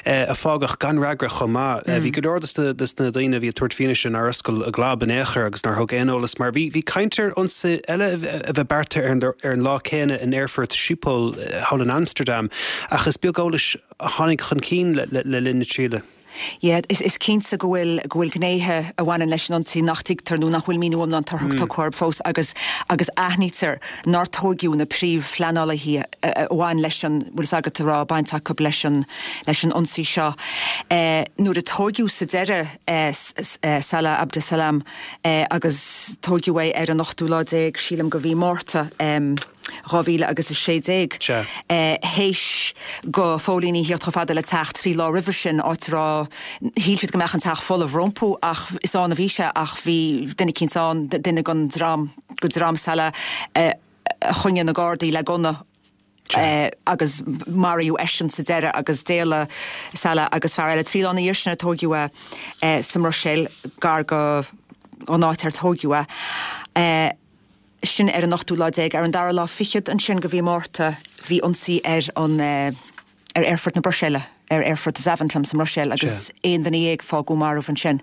a fágadh gan fhreagra chomh maith. Bhí go leor de de na daoine a bhí ag tabhairt fianaise nár oscail a gclab in aon chor agus nár thug aon eolas mar bhí bhí caint ar ionsaí eile a bheith beartaithe ar an ar an lá céanna in aerfort Schiphol thall in Amsterdam ach is beag eolais a tháinig chun cinn le le le linn na triaile. Yeah, is is cinnte go bhfuil go bhfuil gnéithe a bhaineann leis an ionsaí nach dtuigtear nó nach bhfuil míniú iomlán tugtha orthu fós agus agus aithnítear nár tóigeadh na príomhphleanálaithe a bhain leis an bhfuil fhios agat a raibh baint acu leis an leis an ionsaí seo. Eh, nuair a tóigeadh sa deireadh eh, eh, Salah Abdeslam eh, agus tóigeadh é ar an ochtú lá déag sílim de mhí Márta em, dhá mhíle agus a sé déag, théis do phóilíní theacht chomh fada le teach trí lá roimhe sin, áit a raibh, shíl siad go mbeadh an teach folamh rompu ach is ann a bhí sé ach bhí duine eicínt ann, duine den dream, de dhream Salah a choinnigh na Gardaí le gunna agus maraíodh eisean sa deireadh agus d'éalaigh Salah agus fear eile. Trí lá ina dhiaidh sin a tóigeadh é sa mBruiséil gar go an áit ar tóigeadh é. Sin ar an ochtú lá déag. Ar an dara lá fichead ansin de mhí Márta bhí ionsaí ar an ar aerfort na Bruiséile, ar aerfort Zaventem sa mBruiséil agus aon duine dhéag fágadh marbh ansin.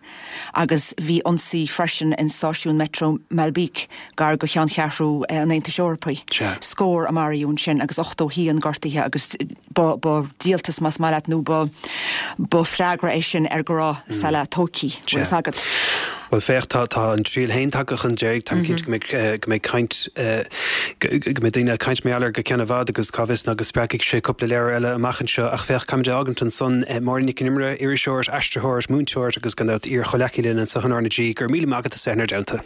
Agus bhí ionsaí freisin in stáisiún Metro Maelbeek gar do cheanncheathrú an Aontais Eorpaigh. Scór a maraíodh ansin agus ochtó haon gortaithe agus ba ba díoltas más maith leat nó ba ba freagra é sin ar go raibh Salah tógtha, bhfuil fhios agat. Bhuel féach, tá tá an triail féin tagtha chun deiridh, táim cinnte go mbeidh go mbeidh caint go mbeidh daoine ag caint mar gheall air go ceann i bhfad agus cá bhfios ná go spreagfaidh sé cúpla leabhar eile amach anseo. Ach féach, caithfimid é a fhágaint ansan. Máirín Nic an Iomaire, iriseoir, aistritheoir, múinteoir agus gan dabht iar-chomhleacaí linn anseo in R na G, go raibh míle maith agat as bheith inár dteannta.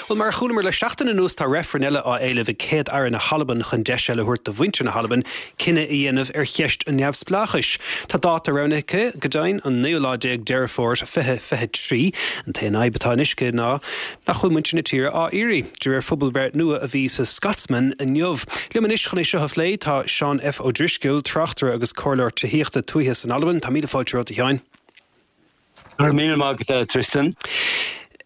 Bhuel Bhuel, mar a chualamar le seachtain anuas tá reifreann eile á éileamh ag Céad Aire na hAlban chun deis eile a thabhairt do mhuintir na hAlban cinneadh a dhéanamh ar cheist an neamhspleáchais. Tá dáta roghnaithe aici, go deimhin, an naoú lá déag Deireadh Fómhair fiche fiche trí. An t-aon fhadhb atá anois aici ná nach bhfuil muintir na tíre á iarraidh, de réir phobalbhreith nua a bhí sa Scotsman inniu. Liom anois chun é seo a phlé tá Seán F. Ó Drisceoil, tráchtaire agus comhairleoir tithíochta tuaithe san Albain. Tá míle fáilte romhat, a Sheáin. Go raibh míle maith agat, a Tristan.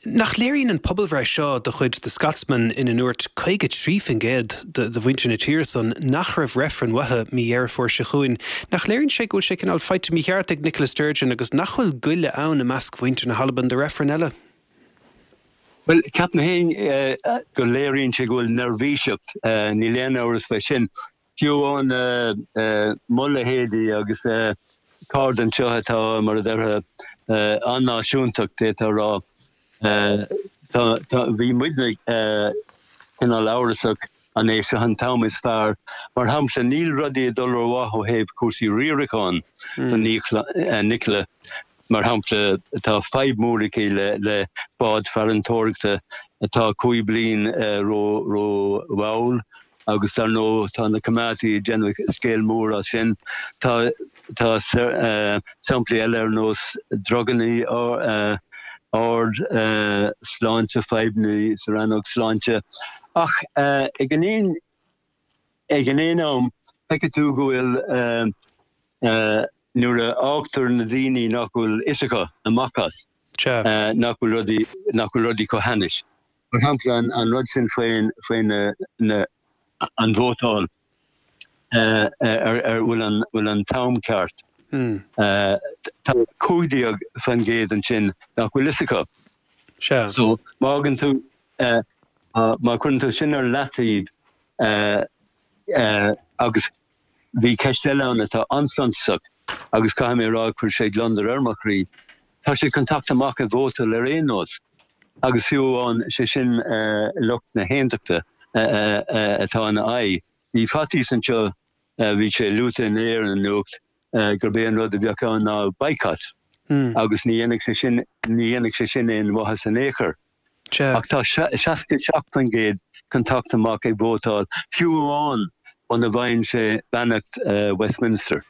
Nach léiríonn an pobalbhreith seo de chuid The Scotsman ina ndúirt caoga trí faoin gcéad de mhuintir na tíre san nach raibh reifreann uathu mí Dheireadh Fómhair seo chugainn, nach léiríonn sé go bhfuil sé cineál faighte mícheart ag Nicola Sturgeon agus nach bhfuil goile ann i measc mhuintir na hAlban do reifreann eile? Bhuel, ceapaim féin go léiríonn sé go bhfuil neirbhíseacht, níl aon amhras faoi sin. Fiú amháin mo leithéidí agus cairde anseo atá, mar a déarfá, an-náisiúntach, d'fhéadfá a rá, tá, bhí muidne cineál amhrasach an é seo an t-am is fearr. Mar shampla, níl rudaí ag dul rómhaith ó thaobh cúrsaí riaracháin do Nicola. Mar shampla, tá fadhb mhór aici le bád farantóireachta atá cúig bliain ró-mhall agus dar ndóigh tá na coimeádaithe ag déanamh scéal mór as sin. Tá tá samplaí eile ar nós druganna ard, sláinte, fadhbanna sa rannóg sláinte. Ach ag an aon ag an aon am feicfidh tú go bhfuil nuair a fhágtar na daoine nach bhfuil fhios acu amach as, nach bhfuil rudaí nach bhfuil rudaí chomh hainnis. Mar shampla, an rud sin faoin faoi na na an vótáil ar ar bhfuil an bhfuil an t-am ceart. Tá cúig déag faoin gcéad ansin nach bhfuil fhios acu. Sea. So má fhágann tú má chuireann tú sin ar leataobh agus bhí ceist eile ann atá an-suntasach agus caithfidh mé a rá chuir sé gliondar ar mo chroí, tá siad chun teacht amach ag vótáil ar aon nós agus fiú amháin sé sin lucht na haontachta atá ina aghaidh. Bhí faitíos anseo, bhí sé luaite inné ar an nuacht, gurb é an rud a bheadh ann ná boycott agus ní dhéanfadh sé sin, ní dhéanfadh sé sin aon mhaitheas in aon chor. Ach tá seasca seacht faoin gcéad chun teacht amach ag vótáil, fiú amháin muna bhfaigheann sé beannacht Westminster.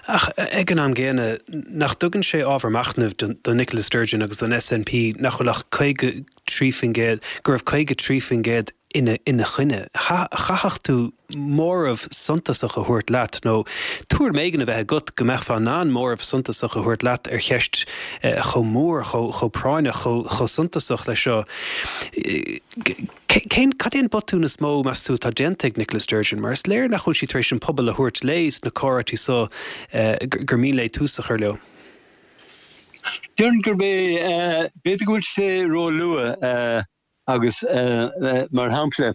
Ach ag an am gcéanna, nach dtugann sé ábhar machnaimh do Nicola Sturgeon agus don S N P nach bhfuil ach caoga trí faoin gcéad, go raibh caoga trí faoin gcéad ina ina choinne? Chaithfeadh tú móramh suntasach a thabhairt leat, nó tuairim éigin a bheith agat go mbeifeá in ann móramh suntasach a thabhairt leat ar cheist chomh mór, chomh práinneach, chomh suntasach leis seo. Cén, cad é an botún is mó, meas tú, atá déanta ag Nicola Sturgeon? Mar is léir nach bhfuil sí tar éis an pobal a thabhairt léi sna comhráití seo gur mian léi tús a chur leo. Déarfainn gurb é, b'fhéidir go bhfuil sé róluath agus mar shampla,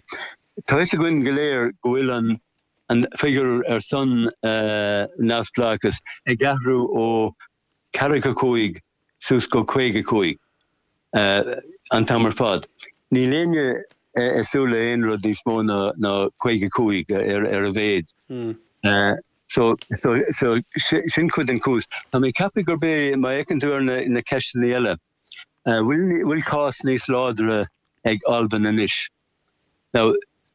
tá fhios againn go léir go bhfuil an an figiúr ar son neamhspleáchas ag athrú ó ceathracha cúig suas go caoga cúig an t-am ar fad. Níl éinne ag súil le aon rud níos mó ná ná caoga cúig ar ar a mhéad. So so so sin cuid den chúis. Tá mé ag ceapadh gurb é má fhéachann tú ar na na ceisteanna eile, bhfuil bhfuil cás níos láidre ag Albain anois? Now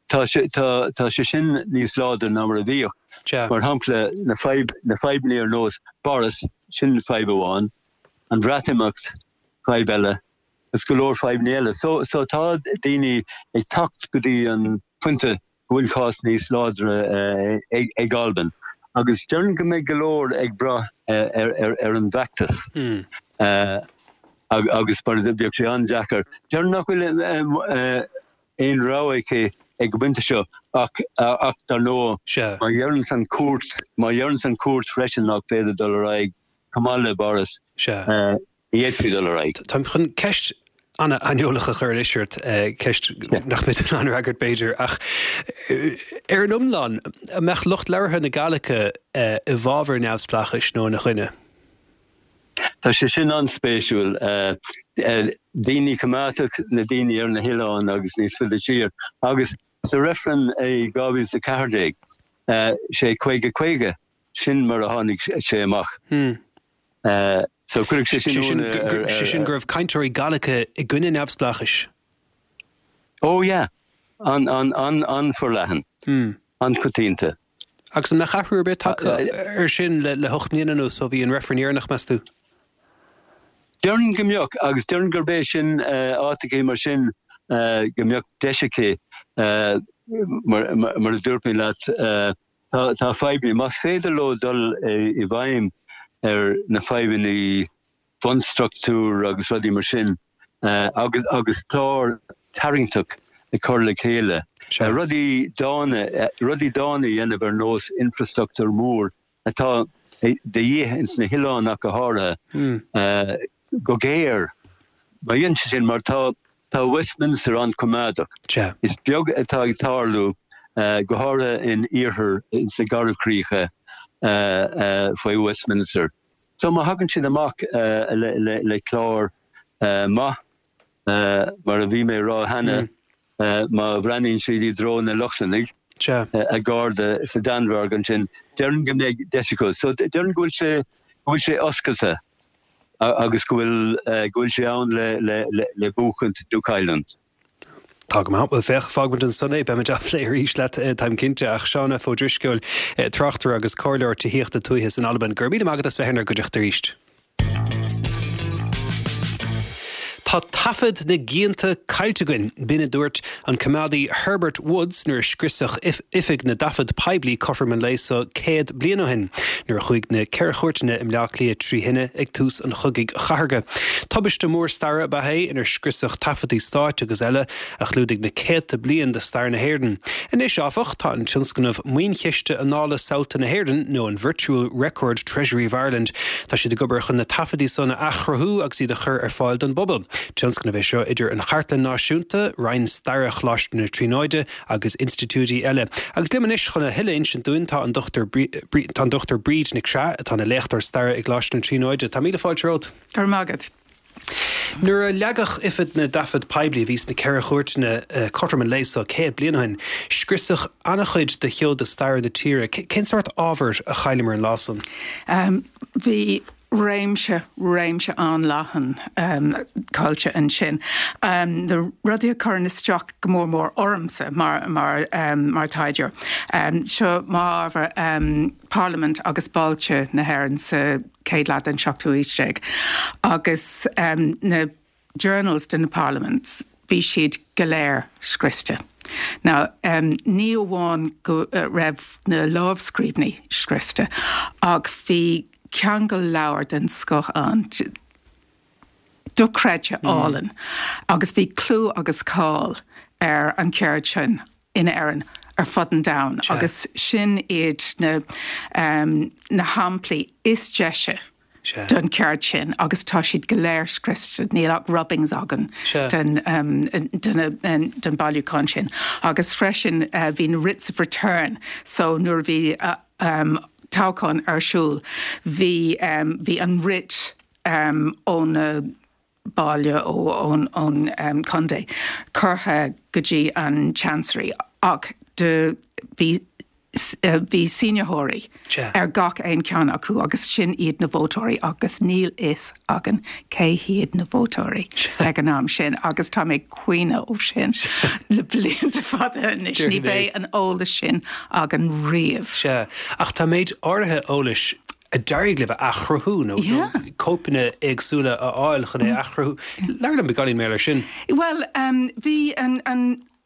tá sé tá tá sé sin níos láidre ná mar a bhíodh. Mar shampla na fadhb na fadhbanna ar nós Boris, sin fadhb amháin, an Bhreatimeacht, fadhb eile, agus go leor fadhbanna eile. So so tá daoine ag teacht go dtí an pointe go bhfuil cás níos láidre ag Albain agus déarfainn go mbeidh go leor ag brath ar an bhfeachtas agus mar bheadh sé an-deacair. Déarfainn nach bhfuil aon rogha aici ag an bpointe seo ach ach dar ndóigh má dheireanns an chúirt má dheireanns an chúirt freisin nach féidir dul ar aghaidh chomh maith le Boris. Ní fhéadfaí dul ar aghaidh. Táim chun ceist an-aineolach a chur anois ort, ceist nach mbeidh tú in ann a fhreagairt b'fhéidir, ach ar an iomlán, an mbeadh lucht labhartha na Gàidhlige i bhfabhar neamhspleáchais nó ina choinne? Tá sé sin an-spéisiúil. Daoine coimeádach, na daoine ar na hoileáin agus níos faide siar. Agus sa reifreann i dhá mhíle is a ceathair déag, sé caoga caoga, sin mar a tháinig sé amach. So cuirfidh sé sin Sé sin go raibh cainteoirí Gàidhlige i gcoinne neamhspleáchais? Oh yeah, an an an an-fhorleathan. Mm. An-choitianta. Agus an mbeadh athrú ar bith tagtha ar sin le le hocht mbliana anuas ó bhí an reifreann dheireanach meas tú? Déarfainn go mbeadh agus déarfainn gurb é sin áiteachaí mar sin go mbeadh deis aici mar mar a dúirt mé leat tá tá fadhbanna más féidir leo dul i bhfeidhm ar na fadhbanna bunstruchtúr agus rudaí mar sin agus agus clár tarraingteach a chur le chéile. Rudaí dána rudaí dána a dhéanamh ar nós infrastruchtúr mór atá de dhíth ins na hoileáin ach go háirithe go géar. Má dhéanann sé sin mar tá tá Westminster an-choimeádach. Is beag atá ag tarlú go háirithe in iarthar ins na Garbhchríocha faoi Westminster. So má thagann siad amach le le le clár maith mar a bhí mé ag rá cheana má bhreathnaíonn siad i dtreo na Lochlannaigh a gcairde sa Danmhairg ansin, déarfainn go mbeidh deis acu. So déarfainn go bhfuil sé go bhfuil sé oscailte agus go bhfuil go bhfuil sé ann le le le le buachaint nó cailliúint. Tá go maith, bhuel féach, fágfaimid ansan é, beimid á phlé arís leat, táim cinnte, ach Seán F. Ó Drisceoil, tráchtaire agus comhairleoir tithíochta tuaithe san Albain, go raibh míle maith agat as bheith inár gcuideachta arís. Tá taifead na gcianta caillte againn, b'in a dúirt an coimeádaí Herbert Woods nuair a scriosadh Oifig na dTaifead Poiblí cothrom an lae seo céad bliain ó shin, nuair a chuaigh na Ceithre Chúirteanna i mBleá Cliath trí thine ag tús an Chogaidh Chathartha. Tubaiste mór staire ab ea é inar scriosadh taifeadtaí stáit agus eile a chlúdaigh na céadta bliain de stair na hÉireann. Anois, áfach, tá an tionscnamh Maoinchiste Annála Samhalta na hÉireann, nó an Virtual Record Treasury of Ireland, tá siad ag obair chun na taifeadtaí san a athchruthú agus iad a chur ar fáil don bpobal. Tionscnamh é seo idir an Chartlann Náisiúnta, Roinn Staire Choláiste na Tríonóide agus institiúidí eile. Agus liom anois chun a thuilleadh a insint dúinn tá an Dochtúir tá an Dochtúir Bríd Nic Craith atá ina léachtóir staire i gColáiste na Tríonóide. Tá míle fáilte romhat. Go raibh maith agat. Nuair a leagadh Oifig na dTaifead Poiblí a bhí sna Ceithre Chúirteanna cothrom an lae seo céad bliain ó shin, scriosadh an-chuid de sheoda staire na tíre. Cén sórt ábhair a chailleamar an lá san? Bhí réimse, réimse an-leathan caillte ansin. Na rudaí a chuireann isteach go mór mór ormsa mar, mar, mar taighdeoir. Seo m'ábhar Parlaimint agus bailte na hÉireann sa chéad leath den seachtú haois déag. Agus na journals de na parliaments, bhí siad go léir scriosta. Now, ní amháin go raibh na lámhscríbhinní scriosta, ach bhí ceangal leabhar den scoth ann, dochreidte álainn, agus bhí clú agus cáil ar an cheird sin in Éirinn ar fud an domhain, agus sin iad na na shamplaí is deise den cheird sin agus tá siad go léir scriosta, níl ach rubbings againn den den den bailiúchán sin. Agus freisin bhí na writs of return, so nuair a bhí toghchán ar siúl, bhí bhí an writ ón baile ó ón contae curtha go dtí an chancery ach do bhí bhí sínitheoirí ar gach aon ceann acu agus sin iad na vótóirí agus níl fhios againn cé hiad na vótóirí ag an am sin agus tá mé ag caoineadh ó sin le blianta fada anois. Ní bheidh an eolas sin againn riamh. Sea, ach tá méid áirithe eolais a d'éirigh libh a athchruthú nó cóipeanna éagsúla a fháil chun é a athchruthú. Labhair liom beagáinín mar gheall air sin. Bhuel, bhí an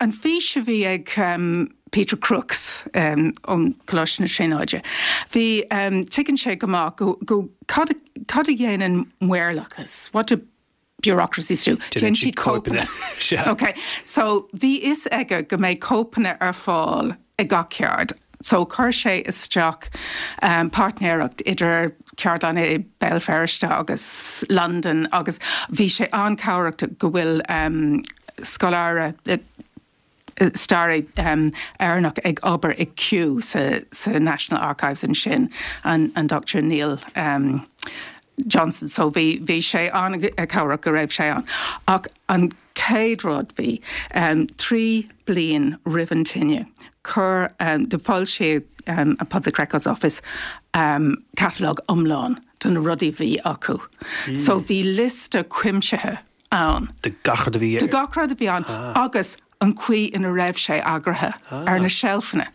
an fhís a bhí ag Peter Crooks ón Coláiste na Tríonóide, bhí, tuigeann sé go maith go, go, cad, cad a dhéanann maorlathas? What do bureaucracies do? Déanann siad cóipeanna. Ok, so bhí fhios aige go mbeidh cóipeanna ar fáil ag gach ceard. So chuir sé isteach páirtnéireacht idir ceardlanna i Béal Feirste agus Londain agus bhí sé an-chabhrach go bhfuil scoláire, staraí Éireannach ag obair i Kew sa sa National Archives ansin, an an Doctor Neil Johnson. So bhí bhí sé an-chabhrach go raibh sé ann. Ach an chéad rud bhí trí bliain roimh an tine, chuir d'fhoilsigh an Public Records Office catalóg iomlán de na rudaí a bhí acu. So bhí liosta cuimsithe ann. De gach rud a bhí. De gach rud a bhí ann agus an chaoi ina raibh sé eagraithe ar na seilfeanna.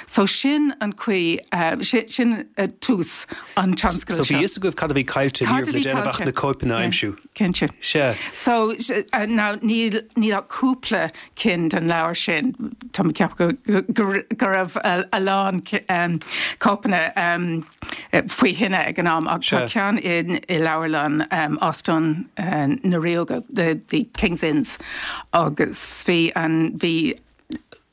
So sin an chaoi uh, sin, sin uh, tús an tionscadail So bhí fhios agaibh cad a bhí caillte Cad ní a le bhí déanamh ach caillte. na cóipeanna a aimsiú. Cinnte. Sea. So uh, now níl níl ach cúpla cinn den leabhar sin Tá mé ag ceapadh go, go, go raibh a, a lán um, cóipeanna um, eh, faoi thine ag an am ach tá Sea. ceann in i leabharlann um, Óstán uh, na Ríoga the, the King's Inns agus bhí an bhí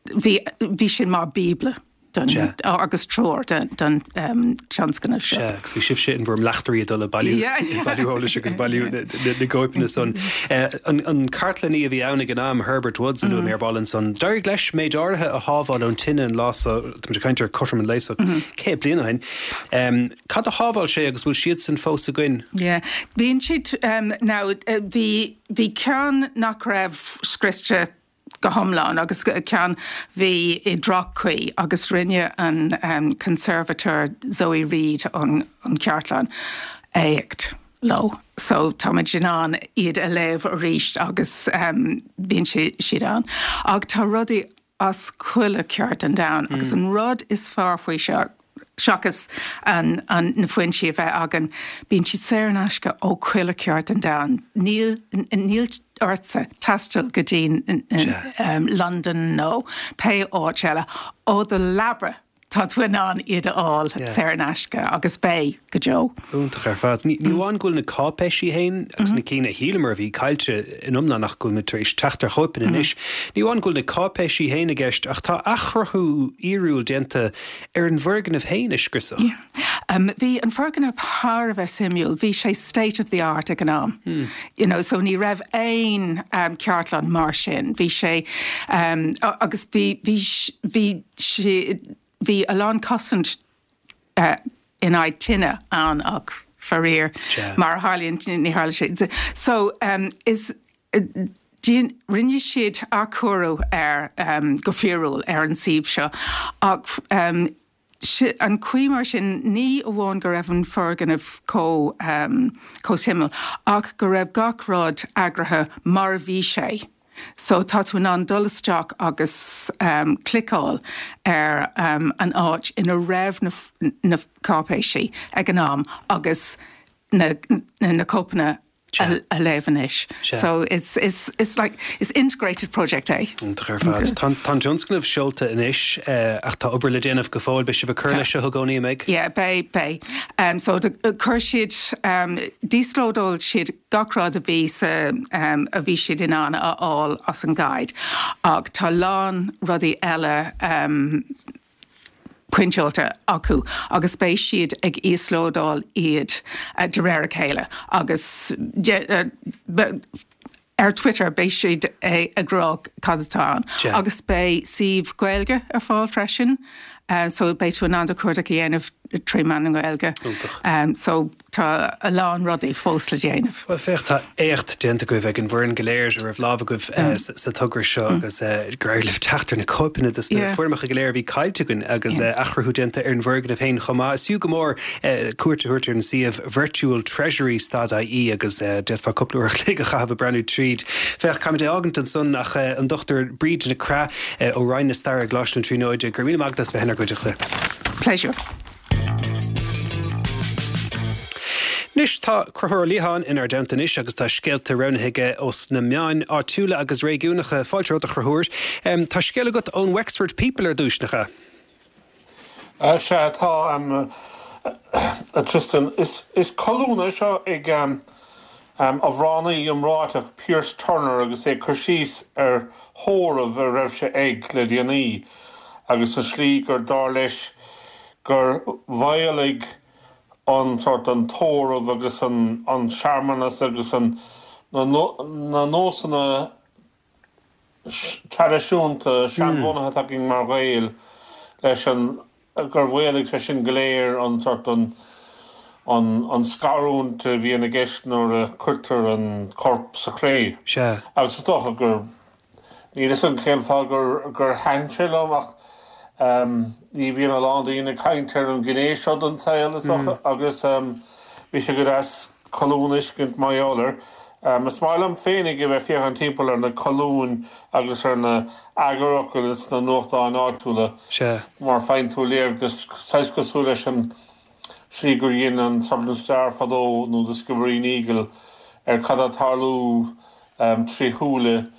bhí bhí sin mar bíobla don Sea. agus treoir don, don um, tionscnamh seo. Sea, agus bhí sibhse in bhur mbleachtairí ag dul ag bailiú Yeah, yeah. bailiú eolais agus bailiú na na gcóipeanna san. Eh, An an cartlannaí a bhí ann ag an am Herbert Woods an mm. ar ball ansan. D'éirigh leis méid áirithe a shábháil ón tine an lá so tá caint ar cothrom an lae so céad bliain ó shin. Um, Cad a shábháil sé agus bhfuil siad san fós againn? Yeah, bíonn siad um, now uh, bhí bhí ceann nach raibh scriosta go hiomlán agus ceann bhí i droch-chaoi agus rinne an um, conservator Zoe Reid an, an chartlann éacht leo. So táimid in ann iad a léamh arís agus um, bíonn si siad ann. Ach tá rudaí as chuile cheard den domhan agus an rud is fearr faoi seo seachas an, an na foinsí a bheith againn, bíonn siad saor in aisce ó chuile cheard den domhan. Níl níl ortsa taisteal go dtí um, London nó pé áit eile ó do leaba tá tú in ann iad a fháil Yeah. saor in aisce agus beidh go deo. Iontach ar fad. Ní ní amháin go bhfuil na cáipéisí féin agus na cinn a shíleamar a bhí caillte in iomlán ach go bhfuil muid tar éis teacht ar chóipeanna anois. Ní amháin go bhfuil na cáipéisí féin i gceist ach tá athchruthú fhíorúil déanta ar an bhfoirgneamh féin a scriosadh. Yeah. Um, bhí an foirgneamh thar a bheith suimiúil, bhí sé state of the art ag an am. Mm. You know, so ní raibh aon um, cartlann mar sin. Bhí sé um, a- agus bhí bhí bhí sé bhí a lán cosaint uh, in aghaidh tine ann ach faraor Sea. mar a tharlaíonn ní tharla sé. So um, is uh, Díon, rinne siad athchóiriú ar um, go fíorúil ar an suíomh seo ach um, si, an chaoi mar sin ní amháin go raibh an foirgneamh chomh um, chomh suimiúil ach go raibh gach rud eagraithe mar a bhí sé. So tá tú in ann dul isteach agus um, cliceáil ar um, an áit ina raibh na, f- na cáipéisí ag an am agus na, na, na cóipeanna Sea. a, a léamh anois. Sea. So it's, it's, it's like it's integrated project é. Iontach ar fad. Tá tá an tionscnamh seolta anois eh, ach tá obair le déanamh go fóill beidh sibh ag cur Tá. leis seo i gcónaí an mbeidh. Yeah, beidh beidh. Um, so de, uh, chuir siad um, d'íoslódáil siad gach rud a bhí sa um, a bhí siad in ann a fháil as an Guide. Ach tá lán rudaí eile um, priontáilte acu agus beidh siad ag íoslódáil iad uh, de réir a chéile agus de, uh, be- ar Twitter beidh siad ag ag rá cad atá ann. Sea. agus beidh suíomh Gaeilge ar fáil freisin. Uh, so beidh tú in ann do chuardach a dhéanamh trí mheán na Gaeilge. Iontach. Um, so tá a lán rudaí fós le déanamh. Well féach tá éacht déanta agaibh ag an bhfoireann go léir a raibh lámh agaibh eh, sa sa togra seo agus eh, gur éirigh libh teacht ar na cóipeanna de na Yeah. foirmeacha go léir a bhí caillte againn agus eh, athchruthú déanta ar an bhfoirgneamh féin chomh maith. Is fiú go mór eh, cuairt a thabhairt ar an suíomh virtual treasury stad ie agus eh, d'fhéadfá cúpla uair a chloig a chaitheamh ag breathnú tríd. Féach caithfimid é fhágaint ansan ach eh, an Dochtúir Bríd Nic Craith eh, ó Roinn na Staire i gColáiste na Tríonóide gur míle maith as bheith inár gcuideachta. Pleasure. Anois tá Conchúr Ó Liatháin inár dteannta anois agus tá scéalta roghnaithe aige ós na meáin áitiúla agus réigiúnacha fáilte romhat a Chonchúir. Um, tá scéal agat ón Wexford People ar dtús nach ea. Uh, Sea tá um, uh, Tristan is, is colún é seo ag um, um, amhránaí iomráiteach Pierce Turner agus é cur síos ar thórramh a raibh sé ag le déanaí agus an slí gur dar leis gur mhaolaigh an sort an tórramh agus an, an searmanas agus an na, no, na nósanna traidisiúnta seanbhunaithe againn mar Ghaeil leis an gur mhaolaigh sé sin go léir an sort an an, an scarúint a bhíonn i gceist nuair a chuirtear an corp sa chré. Sea. Agus is dócha gur níl a fhios agam cén fáth gur gur thaitin sé liom ach um, ní bhíonn a lán daoine ag caint ar an ghné seo den tsaol is dócha agus um, bhí sé go deas colún a fheiscint mar gheall air. Is maith liom féinig a bheith féachaint timpeall ar na colúin agus ar na eagarfhocail sna nuachtáin áitiúla mar faigheann tú léargas saghas cosúil leis an slí gur dhein an Southern Star fadó nó The Skibbereen Eagle ar cad atá ag tarlú trí shúile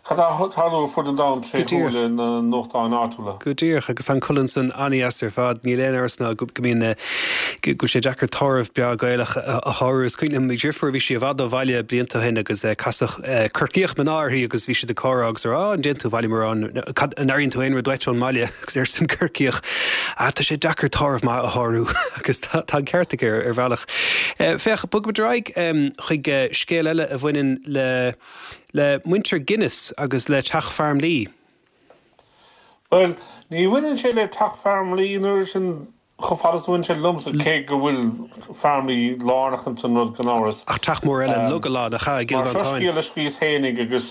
Cad atá ag tarlú ar fud an domhain tré shúile na nuachtáin áitiúla? Go díreach, agus tá an colún san an-deas ar fad. Níl aon amhras ná go mbíonn, go bhfuil sé deacair tórramh breá Gaelach a shárú. Is cuimhin liom mo dheirfiúr, bhí sí i bhfad ó bhaile blianta ó shin agus casadh Corcaíoch mná uirthi agus bhí siad ag comhrá agus ag rá, Á, an dtéann tú abhaile mórán, cad, an airíonn tú aon rud uait ón mbaile? Agus arsa an Corcaíoch, Á, tá sé deacair tórramh maith a shárú. Agus tá an ceart aici ar bhealach. Féach, bogfaimid ar aghaidh chuig scéal eile a bhaineann le. Le muintir Guinness agus le Teach Farmleigh. Bhuel, ní bhaineann sé le Teach Farmleigh an oiread sin chomh fada is a bhain sé liomsa, cé go bhfuil Farmleigh lárnach ins an rud gan amhras. Ach teach mór eile, Luggala, nach ea, i gCill Mar seo Mhantáin. scéal a scríos fhéinig agus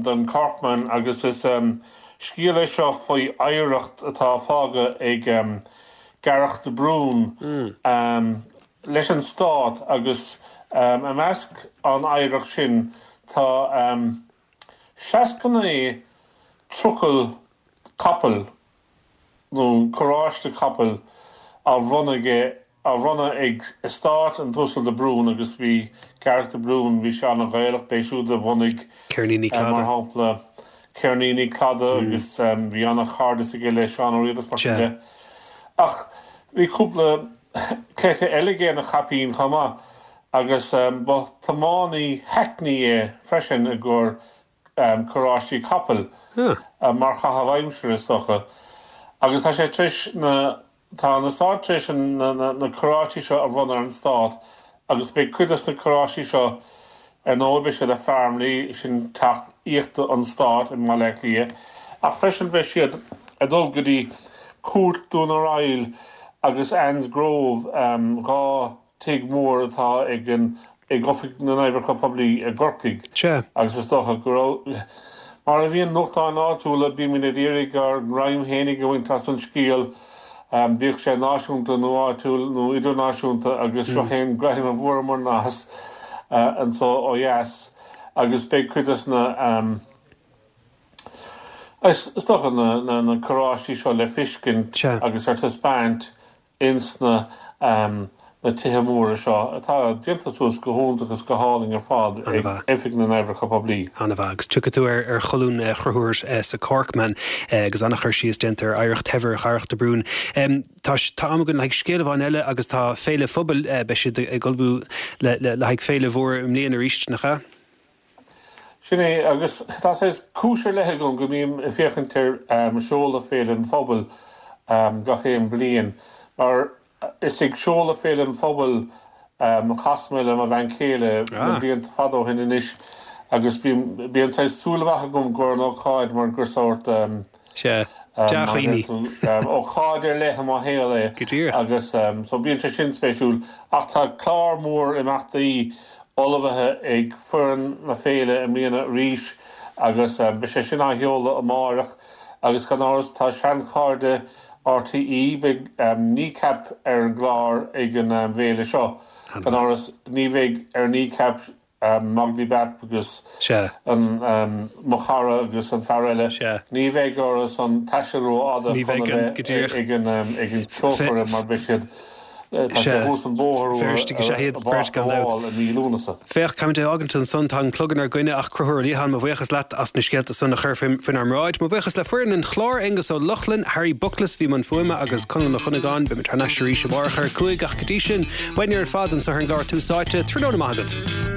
don Corkman agus is scéal é seo faoi oidhreacht atá fágtha ag Garach de Brún leis an Stát agus i measc an oidhreacht sin tá seasca naoi trucail capaill nó carráiste capaill á bhronnadh aige, á bhronnadh ag eastát an tUasal de Brún agus bhí Garach de Brún, bhí sé an-Ghaelach, b'é siúd a bhunaigh Ceirníní mar Cladaigh. shampla Ceirníní Cladaigh agus bhí an-chairdeas aige le Seán Ó Riada is mar sin de. Ach bhí cúpla cleite eile aige ina chaipín chomh maith agus ba tiománaí hackney é freisin i gcomhair carráistí capaill, mar chaitheamh aimsire is dócha. Agus tá sé tar éis na, tá an eastát tar éis na carráistí seo a bhronnadh ar an Stát agus beidh cuid des na carráistí seo Ar ndóigh, beidh siad i Farmleigh, sin teach aíochta an Stáit i mBaile Átha Cliath, ach freisin beidh siad ag dul go dtí Cúirt Dún ar Aill agus Anne's Grove, dhá tigh mór atá ag an ag Oifig na nOibreacha Poiblí i gCorcaigh. Sea. Agus is dócha go raibh, mar a bhíonn nuachtáin áitiúla, bímid ag iarraidh ár ngreim fhéinig a bhaint as an scéal, Bíodh sé náisiúnta nó áitiúil nó idirnáisiúnta agus seo é an greim a bhfuaireamarna as anso ó dheas agus beidh cuid des na, is dócha, na carráistí seo le feiscint agus ar taispeáint ins na na tithe móra seo atá déanta suas go hiontach is go hálainn ar fad ag Oifig na nOibreacha Poiblí. An-mhaith. Agus tiocfaidh tú ar cholún Chonchúir sa Corkman agus an-chur síos déanta ar oidhreacht shaibhir Dharach de Brún. Tá tá am againn le haghaidh scéal amháin eile agus tá Féile Phobail, beidh siad ag ullmhú le le haghaidh féile mhór i mbliana arís, nach ea? Sin é, agus tá saghas cúis ar leith agam go mbím ag féachaint ar seoladh Féile an Phobail gach aon bliain, mar Is ag seoladh Féile an Phobail a chas mé le mo bhean chéile na blianta fada ó shin anois agus bíonn saghas súil amach agam i gcomhair an ócáid mar gur sórt ócáid ar leith i mo shaol é agus so bíonn sé sin spéisiúil. Ach tá clár mór imeachtaí ullmhaithe ag foireann na féile i mbliana arís agus beidh sé sin á sheoladh amáireach agus gan amhras tá seanchairde RTÉ, Beidh Kneecap ar an gclár ag an bhféile seo. Gan amhras, ní bheidh ar Kneecap, Moglaí Bap agus an Mo Chara agus an fear eile, ní bheidh orthu san taisteal rófhada chun a bheith ag an ceolchoirm mar beidh siad Tá sé thuas an bóthar Feirstigh is ea iad, beirt gan dabht. i mí Lúnasa. Féach, caithfimid é a fhágaint ansan, tá an clog inár gcoinne ach Conchúr Ó Liatháin, mo bhuíochas leat as na scéalta san a chur faoinár mbráid. Mo bhuíochas le foireann an chláir, Aengus Ó Lochlainn, Harry Buckles, bhí i mbun fuaime agus Conall Mac Dhonnagáin. Beimid thar n-ais arís amárach ar a cúig ach go dtí sin, uainne ar fad anso ar an gclár Tús Áite, tráthnóna maith agat.